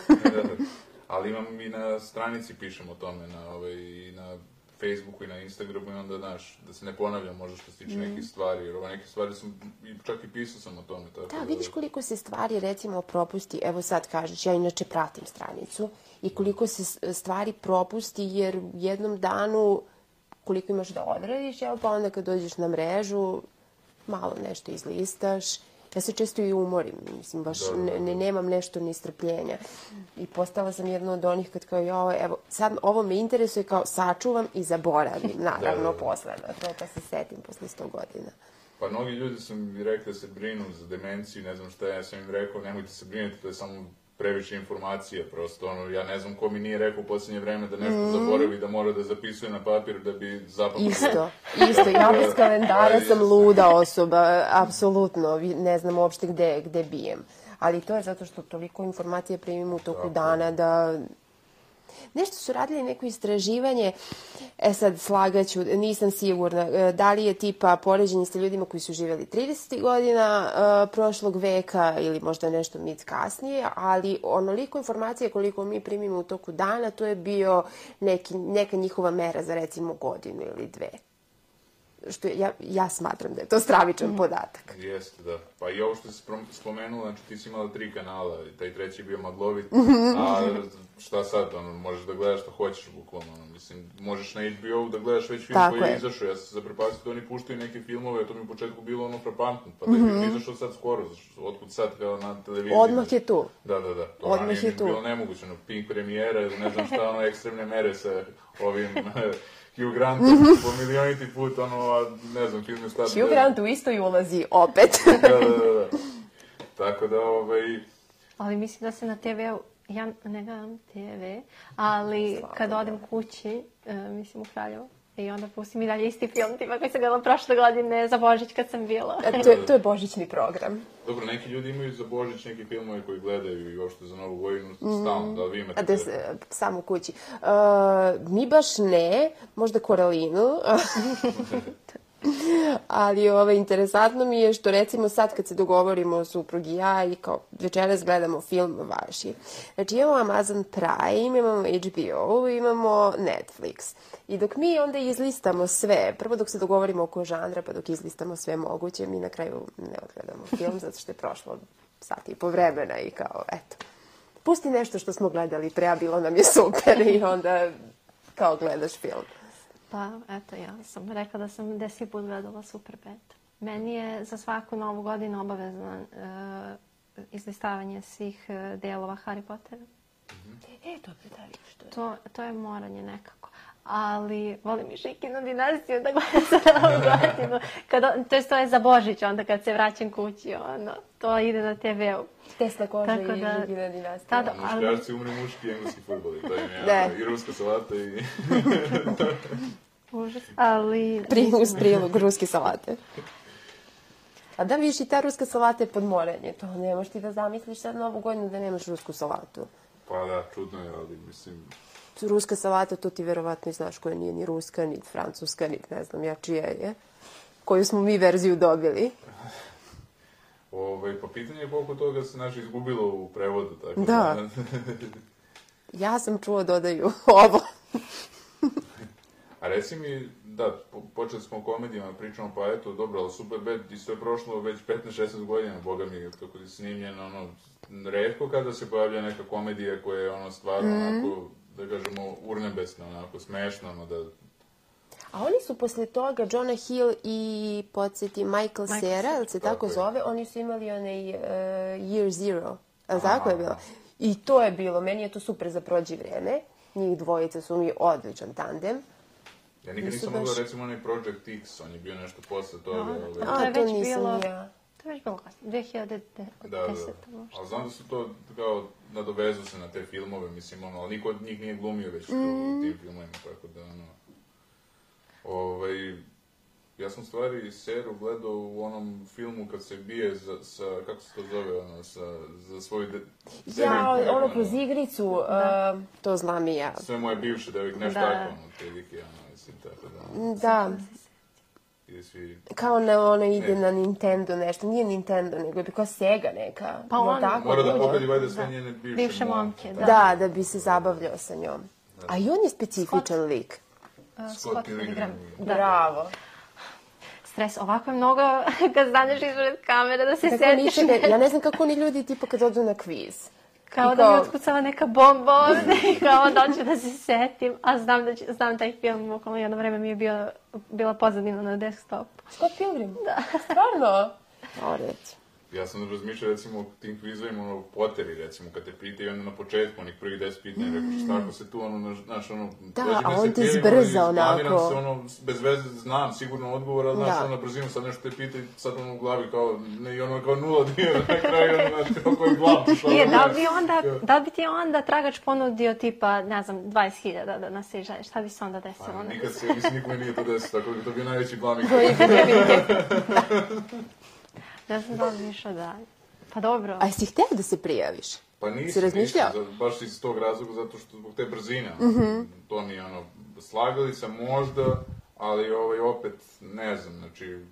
Ali imam i na stranici pišem o tome, na, ovaj, i na Facebooku i na Instagramu i onda, znaš, da se ne ponavljam možda što se tiče mm. nekih stvari, jer ova neke stvari sam, čak i pisao sam o tome. Tako da, vidiš koliko se stvari, recimo, propusti, evo sad kažeš, ja inače pratim stranicu, i koliko se stvari propusti, jer u jednom danu, koliko imaš da odradiš, evo, pa onda kad dođeš na mrežu, malo nešto izlistaš. Ja se često i umorim, mislim, baš da, da, da. Ne, nemam nešto ni strpljenja. I postala sam jedna od onih kad kao, jo, evo, sad ovo me interesuje, kao sačuvam i zaboravim, naravno, da, da, da. posle na to, pa se setim posle sto godina. Pa mnogi ljudi su mi rekli da se brinu za demenciju, ne znam šta, ja sam im rekao, nemojte se brinuti, to je samo previše informacija, prosto, ono, ja ne znam ko mi nije rekao u posljednje vreme da nešto mm. zaboravi, da mora da zapisuje na papir da bi zapamtio. Isto, isto, ja bez kalendara sam luda osoba, apsolutno, ne znam uopšte gde, gde bijem. Ali to je zato što toliko informacije primim u toku Tako. dana da... Nešto su radili neko istraživanje, e sad slagaću, nisam sigurna, da li je tipa poređenje sa ljudima koji su živjeli trideset godina uh, prošlog veka ili možda nešto mit kasnije, ali onoliko informacije koliko mi primimo u toku dana, to je bio neki, neka njihova mera za recimo godinu ili dve. Što je, ja, ja smatram da je to stravičan mm. podatak. Jeste, da. Pa i ovo što si spomenula, znači ti si imala tri kanala, taj treći je bio maglovit, a šta sad, ono, možeš da gledaš što hoćeš, bukvalno, ono, mislim, možeš na H B O da gledaš već film Tako koji je, je izašao, ja sam se zaprepastio da oni puštaju neke filmove, a to mi u početku bilo ono frapantno, pa da je mm-hmm. izašao sad skoro, otkud sad kao na televiziji. Odmah je tu. Da, da, da, to Odmah je tu. Bilo nemoguće, ono, Pink premijera ili ne znam šta, ono, ekstremne mere sa ovim... Hugh Grant po milioniti put, ono, ne znam, film je stati... Hugh Grant u istoj ulazi, opet. da, da, da, da. Tako da, ovaj... Ali mislim da se na te ve u, ja ne gledam te ve, ali Slava, kad odem kući, uh, mislim u Kraljevo, i onda pustim i dalje isti film, tipa koji sam gledala prošle godine za Božić kad sam bila. A to, je, to je božićni program. Dobro, neki ljudi imaju za Božić neki filmove koji gledaju i uopšte za Novu godinu stalno, da li vi imate... A da se, samo u kući. Uh, mi baš ne, možda Koralinu. Ali ove, interesantno mi je što recimo sad kad se dogovorimo suprug i ja i kao večeras gledamo film vaši. Znači imamo Amazon Prime, imamo H B O, imamo Netflix. I dok mi onda izlistamo sve, prvo dok se dogovorimo oko žanra, pa dok izlistamo sve moguće, mi na kraju ne odgledamo film zato što je prošlo sat i po vremena i kao, eto, pusti nešto što smo gledali pre, a bilo nam je super i onda kao gledaš film. Pa, eto, ja sam rekla da sam deset put gledala Superbad. Meni je za svaku novu godinu obavezno uh, izlistavanje svih uh, delova Harry Pottera. E, dobro, da vidiš to. To, to je moranje nekako. Ali volim i Šikinu dinastiju da gledam za novu godinu. Kad, to, je, to je za Božić, onda kad se vraćam kući, ono, to ide na te ve u. Tesla koža i Šikina dinastija. Tada, ali... Muškarci umre muški i engleski fudbal. To je ja, i ruska salata i... Užas, ali... Uz prilog ruske salate. A da vidiš i ta ruska salata je podmorenje. To ne možeš ti da zamisliš sad novu godinu da nemaš rusku salatu. Pa da, čudno je, ali mislim... Ruska salata, to ti verovatno i znaš koja nije ni ruska, ni francuska, ni ne znam ja čija je. Koju smo mi verziju dobili. Ove, pa pitanje je koliko toga se naš izgubilo u prevodu. Tako da. da. Ja sam čuo dodaju ovo. A reci mi, da, počeli smo o komedijama, pričamo, pa eto, dobro, ali Superbad, isto je prošlo već petnaest šesnaest godina, boga mi, kako je snimljeno, ono, retko kada se pojavlja neka komedija koja je, ono, stvarno, mm. onako, da kažemo, urnebesna, onako, smešna, ono, da... A oni su posle toga, Jonah Hill i, podsjeti, Michael, Michael Cera, ili se tako, tako zove, oni su imali onaj uh, Year Zero, ali tako je bilo? I to je bilo, meni je to super za prođi vreme, njih dvojica su mi odličan tandem. Ja nikad nisam baš... mogla, recimo, onaj Project X, on je bio nešto posle toga. No, ove... A, to je već bilo... Ja. To je već bilo kasno, dve hiljade desete. Da, da. Ali znam da su to, kao, nadovezu se na te filmove, mislim, ono, ali niko od njih nije glumio već mm. u tim filmovima, tako da, ono... Ovaj... Ja sam stvari Seru gledao u onom filmu kad se bije za, sa, kako se to zove, ono, sa, za svoju... De... Ja, ono, ono kroz igricu, uh, to znam i ja. Sve moje bivše devojke, nešto tako, ono, prilike, ono, mislim, tako da... Ono, da. Ide svi... Kao na ono ide ne. na Nintendo nešto, nije Nintendo, nego je kao Sega neka. Pa on... Tako, mora da pobedi vajde sve da. njene bivše, bivše momke. Da. da, da bi se zabavljao sa njom. Da. A i on je specifičan Scott. lik. Uh, Scott Pilgrim. Da. Bravo. Stres, ovako je mnogo kad staneš ispred kamere da se setiš. Ne, ja ne znam kako oni ljudi tipa kad odu na kviz. Kao, kao da mi otkucala neka bomba ovde i kao da ću da se setim. A znam, da će, znam taj film, okolo jedno vreme mi je bio, bila pozadina na desktopu. Scott Pilgrim? Da. Stvarno? O, reći. Ja sam razmišljao, recimo, o tim kvizovima, ono, Potteri, recimo, kad te pitaju, onda na početku, onih prvih deset pitanja, rekao, šta ako se tu, ono, znaš, ono, da, a on te zbrza, onako. se, ono, bez veze znam sigurno odgovor, ali, znaš, ono, na brzinu sad nešto te pitaju, sad ono u glavi, kao, ne, i ono, kao nula dio, na kraju, ono, znaš, kao koji glav, što je, da bi onda, da bi ti onda tragač ponudio, tipa, ne znam, dvadeset hiljada da nasiđaš, šta bi se onda desilo? Pa, nikad se, mislim, nikome nije to desilo, tako da to bi najveći blamik. Ja sam razmišljala da... Pa dobro. A jesi htio da se prijaviš? Pa nisam, nisam, baš iz tog razloga, zato što zbog te brzine. Mm-hmm. To mi je ono, slagali sam možda, ali ovaj, opet ne znam, znači,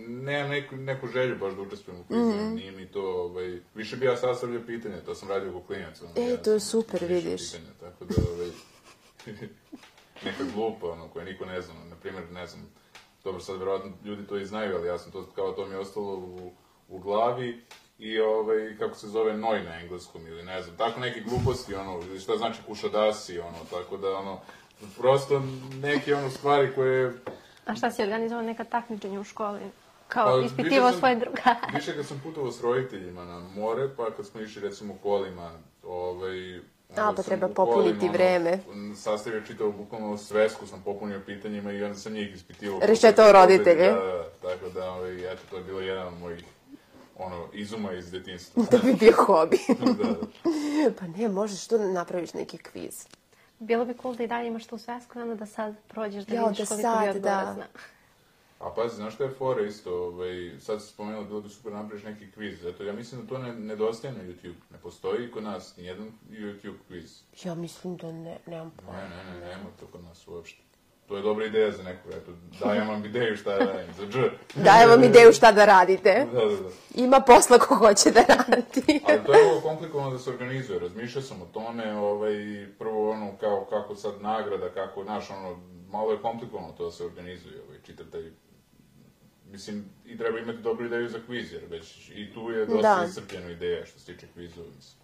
nemam neku, neku želju baš da učestvujem u kvizima, mm-hmm. nije mi to, ovaj, više bi ja sastavljao pitanja, to sam radio oko klinaca. E, ja to je super, vidiš. Pitanja, tako da, ovaj, neka glupa, ono, koja niko ne zna, na primjer, ne znam, dobro, sad vjerojatno ljudi to i znaju, ali ja sam to, kao to mi je ostalo u, u glavi i ovaj, kako se zove noj na engleskom ili ne znam, tako neke gluposti, ono, šta znači kušadasi, ono, tako da, ono, prosto neke, ono, stvari koje... A šta si organizovao neka takmičenja u školi? Kao, pa, ispitivao svoje drugare? Više kad sam putovao s roditeljima na more, pa kad smo išli, recimo, kolima, ovaj... A, pa treba popuniti kolima, vreme. Ono, sastavio čitao bukvalno svesku, sam popunio pitanjima i onda sam njih ispitivao. Rešetao roditelje. Da, da, tako da, ovaj, eto, to je bilo jedan od mojih, ono, izuma iz detinjstva. Da bi bio hobi. Da, da. Pa ne, možeš tu napraviš neki kviz. Bilo bi cool da i dalje imaš tu svesku, onda da sad prođeš da jo, vidiš da koliko sad, bi odgovora zna. A pazi, znaš što je fora isto, ovaj, sad se spomenula, bilo bi super napraviš neki kviz, zato ja mislim da to ne, nedostaje na YouTube, ne postoji kod nas nijedan YouTube kviz. Ja mislim da ne, nemam pojma. Ne, ne, ne, nema to kod nas uopšte. To je dobra ideja za neku, eto, dajem vam ideju šta da radim, za dž. Dajem vam ideju šta da radite. Da, da, da. Ima posla ko hoće da radi. Ali to je ovo komplikovano da se organizuje, razmišljao sam o tome, ovaj, prvo ono, kao, kako sad nagrada, kako, znaš, ono, malo je komplikovano to da se organizuje, ovaj, čitav taj. Mislim, i treba imati dobru ideju za kviz, jer već i tu je dosta da. Iscrpljena ideja što se tiče kvizova, mislim.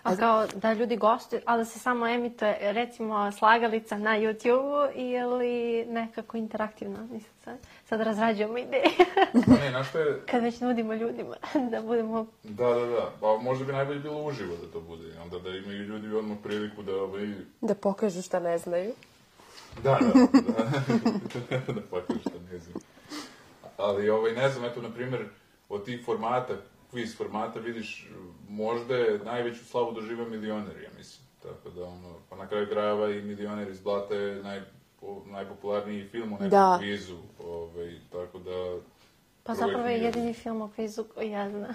A kao da ljudi gostuju, ali da se samo emituje, recimo, slagalica na YouTube-u ili nekako interaktivno, mislim sad. Sad razrađujemo ideje. Pa ne, znaš što je... Kad već nudimo ljudima da budemo... Da, da, da. Pa možda bi najbolje bilo uživo da to bude. Onda da imaju ljudi odmah priliku da... Ovaj... Da pokažu šta ne znaju. Da, da, da, da pokažu šta ne znaju. Ali, ovaj, ne znam, eto, na primjer, od tih formata, kviz formata, vidiš, možda je najveću slavu doživa Milioner, ja mislim. Tako da, ono, pa na kraju krajeva i Milioner iz Blata je naj, po, najpopularniji film u nekom da. Kvizu, ovaj, tako da... Pa zapravo je jedini film o kvizu koji ja znam.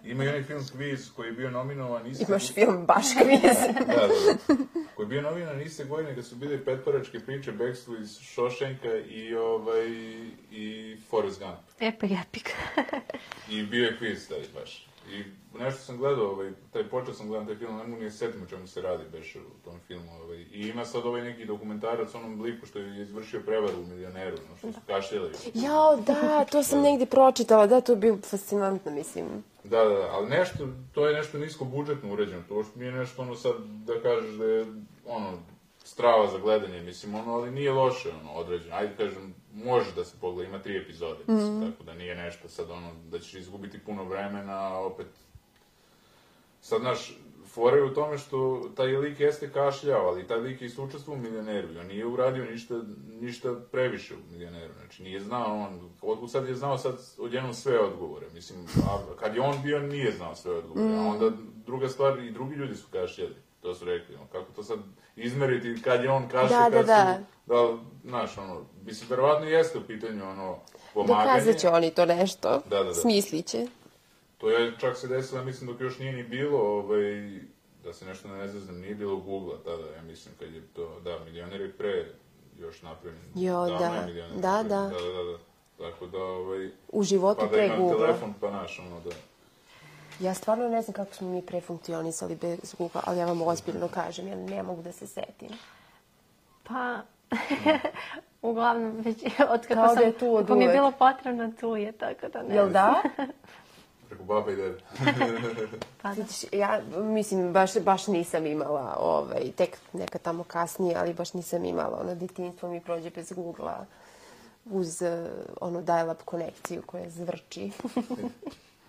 Ima i onaj film Kviz koji je bio nominovan iste... Imaš film baš Kviz. Da, da, da. Koji je bio nominovan iste godine kad su bile petparačke priče, Bekstvo iz Šošenka i, ovaj, i Forrest Gump. Epic, epic. I bio je Kviz tada baš. I nešto sam gledao, ovaj, taj počeo sam gledam taj film, ne mogu nije setim o čemu se radi beš u tom filmu. Ovaj. I ima sad ovaj neki dokumentarac onom liku što je izvršio prevaru u Milioneru, no što su kašljali. Jao, da, to sam negdje pročitala, da, to je bilo fascinantno, mislim. Da, da, ali nešto, to je nešto nisko budžetno uređeno, to što nije nešto ono sad da kažeš da je, ono, strava za gledanje, mislim, ono, ali nije loše, ono, određeno. Ajde, kažem, može da se pogleda, ima tri epizode, mislim, mm-hmm. tako da nije nešto sad, ono, da ćeš izgubiti puno vremena, opet... Sad, znaš, fora je u tome što taj lik jeste kašljao, ali taj lik je isto učestvovao u Milioneru i on nije uradio ništa, ništa previše u Milioneru, znači nije znao on, od, sad je znao sad odjednom sve odgovore, mislim, a kad je on bio nije znao sve odgovore, mm. a onda druga stvar i drugi ljudi su kašljali, to su rekli, ono, kako to sad izmeriti kad je on kašlja, da, kad da, su, da, znaš, ono, mislim, verovatno jeste u pitanju, ono, pomaganje. Dokazat će oni to nešto, da, da, da. Smislit će. To je čak se desilo, mislim, dok još nije ni bilo, ovaj, da se nešto ne znam, nije bilo Google-a tada, ja mislim, kad je to, da, Milioner je pre još napravljen. Jo, da, da, da, da. Da, da, da, tako da, ovaj... U životu pa pre Google-a. Pa da imam telefon, pa naš, ono, da. Ja stvarno ne znam kako smo mi prefunkcionisali bez Google-a, ali ja vam ozbiljno kažem, ja ne mogu da se setim. Pa... Uglavnom, već od kako sam... Tu od ako mi je bilo potrebno, tu je, tako da ne. Jel da? Preko baba i dede. Pa da. Ja, mislim, baš, baš nisam imala, ovaj, tek neka tamo kasnije, ali baš nisam imala, ono, detinjstvo mi prođe bez Google-a. uz onu dial-up konekciju koja zvrči.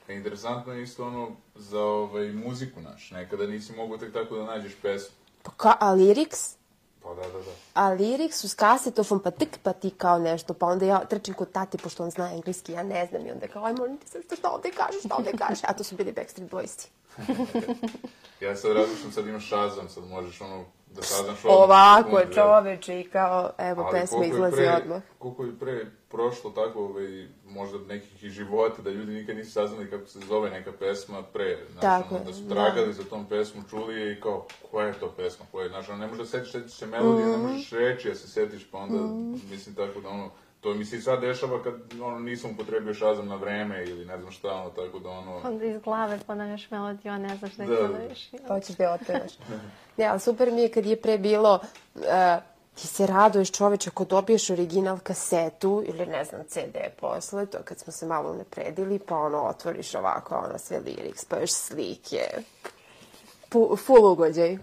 Interesantno je isto ono za ovaj, muziku naš. Nekada nisi mogu tek tako da nađeš pesmu. Pa ka, a lyrics? Pa da, da, da. A lyrics uz kasetofon, pa tik pa ti kao nešto, pa onda ja trčim kod tati, pošto on zna engleski, ja ne znam, i onda kao, aj molim ti se, šta ovde kažeš, šta ovde kažeš, a to su bili Backstreet Boysi. Ja sad različim, sad imaš Shazam, sad možeš ono da saznaš odmah. Ovako je čoveče i kao, evo, pesma izlazi odmah. Koliko je pre prošlo tako, ovaj, možda nekih i života, da ljudi nikad nisu saznali kako se zove neka pesma pre. Znaš, ono, da su tragali za tom pesmu, čuli je i kao, koja je to pesma, koja je, znaš, ono, ne možeš da setiš, setiš se melodije, ne možeš reći, ja se setiš, pa onda, mislim, tako da, ono, to mi se i sad dešava kad, ono, nisam upotrebio Shazam na vreme ili ne znam šta, ono, tako da, ono... Onda iz glave ponavljaš melodiju, a ne znaš da je ponaviš. Hoćeš da je otpevaš. Ne, ali super mi je kad je pre bilo, uh, ti se raduješ čoveče ako dobiješ original kasetu ili ne znam ce de posle, to kad smo se malo unapredili, pa ono otvoriš ovako, ono sve lyrics, pa još slike. Pu, full ugođaj.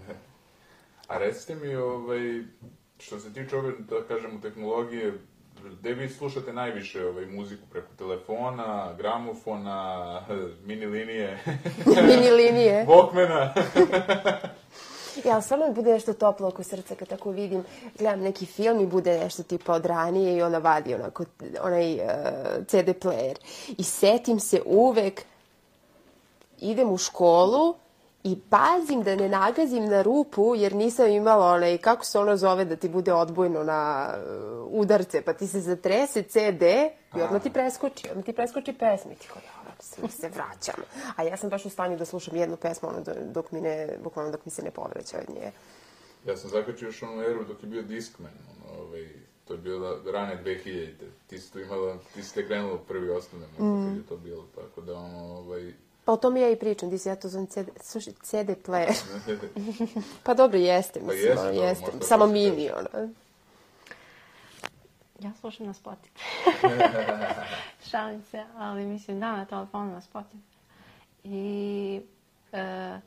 A recite mi, ovaj, što se tiče ove, da kažemo, tehnologije, gde vi slušate najviše ovaj, muziku? Preko telefona, gramofona, mini linije? Mini linije. Walkmana? Ja, ali stvarno mi bude nešto toplo oko srca kad tako vidim, gledam neki film i bude nešto tipa od ranije i ona vadi onako, onaj uh, ce de player. I setim se uvek, idem u školu i pazim da ne nagazim na rupu jer nisam imala onaj, kako se ono zove da ti bude odbojno na uh, udarce, pa ti se zatrese ce de i odmah ti preskoči, odmah ti preskoči pesmi. Ti kao, ja se vraćam. A ja sam baš u stanju da slušam jednu pesmu ono, dok mi ne, bukvalno dok mi se ne povraća od nje. Ja sam zakačio još onu eru dok je bio Discman, ono, ovaj, to je bilo rane dve hiljadite. Ti si tu imala, ti si te krenula prvi osnovne, mm. kad je to bilo, tako da ono, ovaj... Pa o tom ja i pričam, ti si ja to zovem ce de, slušaj, ce de player. Pa dobro, jeste, mislim, pa jeste, ono, dobro, jeste. Samo mini, ono. Ja slušam na Spotify. Šalim se, ali mislim da na telefonu na Spotify. I e,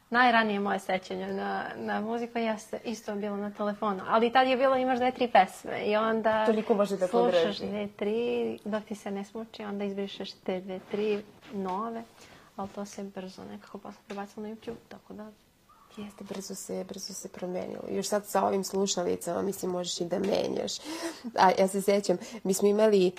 najranije moje sećanje na, na muziku jeste isto bilo na telefonu. Ali tad je bilo imaš dve, tri pesme i onda toliko može da slušaš dve, tri, dok ti se ne smuči, onda izbrišeš te dve, tri nove. Ali to se brzo nekako posle prebacilo na YouTube, tako da... Jeste, brzo se, brzo se promenilo. Još sad sa ovim slušalicama, mislim, možeš i da menjaš. A ja se sećam, mi smo imali,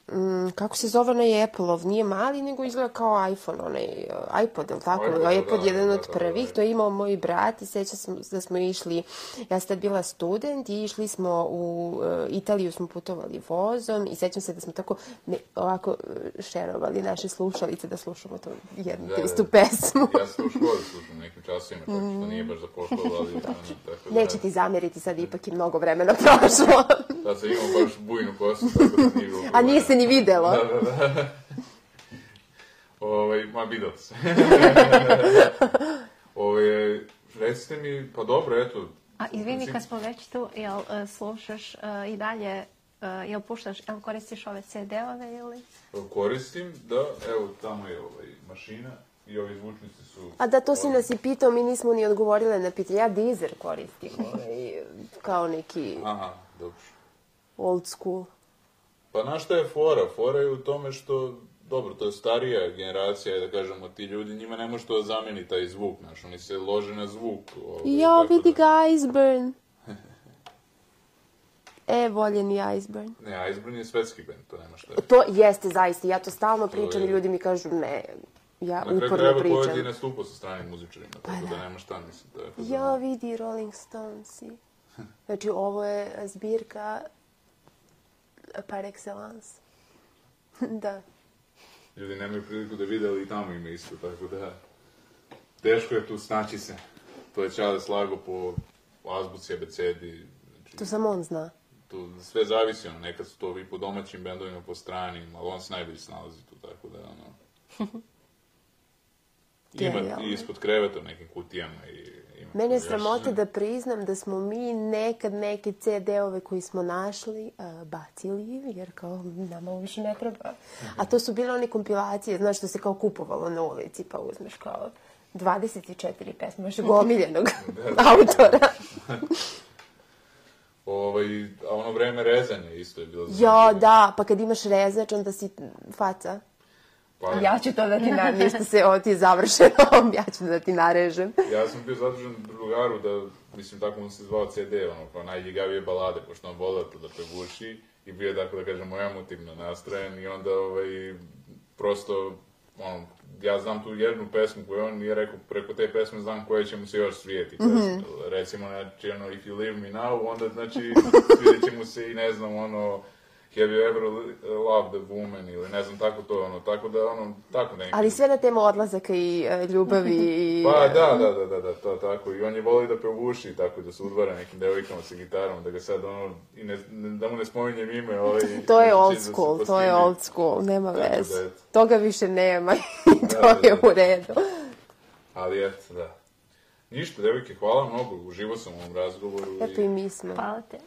mm, kako se zove onaj Apple-ov, nije mali, nego izgleda kao iPhone, onaj uh, iPod, je li tako? iPod, iPod da, jedan da, od da, prvih, da, da. to je imao moj brat i sećam sam da smo išli, ja sam tad bila student i išli smo u uh, Italiju, smo putovali vozom i sećam se da smo tako ne, ovako šerovali naše slušalice da slušamo tu jednu da, te istu pesmu. Ja sam u školi slušam nekim časovima, tako što nije baš za pošlo, ali... Tako da... Neće ti zameriti, sad ipak je mnogo vremena prošlo. Sad sam imao baš bujnu kosu, tako da nije bilo... A nije se ni videlo. Da, da, da. Ovaj, ma, videlo se. Ovaj, recite mi, pa dobro, eto... A izvini, kad smo već tu, jel uh, slušaš uh, i dalje, uh, jel puštaš, jel koristiš ove ce de-ove ili? Koristim, da, evo, tamo je ovaj, mašina i ovi zvučnici su... A da, to si nas i pitao, mi nismo ni odgovorile na pitanje. Ja Deezer koristim, ovaj, kao neki... Aha, dobro. Old school. Pa znaš šta je fora? Fora je u tome što, dobro, to je starija generacija, da kažemo, ti ljudi, njima ne može to da zameni taj zvuk, znaš, oni se lože na zvuk. Ovaj, ja, vidi da... ga Iceburn. E, voljeni Iceburn. Ne, Iceburn je svetski band, to nema šta. To jeste, zaista, ja to stalno pričam je... i ljudi mi kažu, ne, ja uporno pričam. Na kraju krajeva koji je nastupao sa stranim muzičarima, tako pa da. da nema šta, mislim. Tako da... Ja, vidi Rolling Stonesi. Znači, ovo je zbirka par excellence. Da. Ljudi nemaju priliku da vide, ali i tamo ima isto, tako da... Teško je tu snaći se. To je Čale slago po azbuci, abecedi. Znači, to samo on zna. Tu sve zavisi, ono, nekad su to i po domaćim bendovima, po stranim, ali on se najbolje snalazi tu, tako da, ono... Ima i ispod kreveta u nekim kutijama i... Mene je sramote da priznam da smo mi nekad neke ce de-ove koji smo našli uh, bacili, jer kao nama ovo više ne treba. A to su bile one kompilacije, znaš, što se kao kupovalo na ulici, pa uzmeš kao dvadeset četiri pesme, baš gomiljenog autora. Ovaj, a ono vreme rezanja isto je bilo zanimljivo. Jo, da, pa kad imaš rezač, onda si faca. Pa, ja ću to da ti narežem, ništa se, ovo ti je završeno, ja ću da ti narežem. Ja sam bio zadužen drugaru da, mislim, tako mu se zvao ce de, ono, pa najljigavije balade, pošto on volao to da prevuči i bio je, tako da kažem, emotivno nastrojen i onda, ovaj, prosto, ono, ja znam tu jednu pesmu koju on nije rekao, preko te pesme znam koje će mu se još svijeti. Mm-hmm. Recimo, znači, ono, If You Leave Me Now, onda, znači, svijet će mu se i, ne znam, ono, Have you ever loved a woman, ili ne znam, tako to, ono, tako da, ono, tako nekako. Ali sve na temu odlazaka i uh, ljubavi i... Pa, da, da, da, da, da, to tako, i on je voli da provuši, tako, da se udvara nekim devojkama sa gitarom, da ga sad, ono, i ne, da mu ne spominjem ime, ovaj... To je old school, to je old school, nema veze. Toga više nema i to je u redu. Ali, eto, da. Ništa, devojke, hvala mnogo, uživo sam u ovom razgovoru. Eto i mi smo. Hvala te.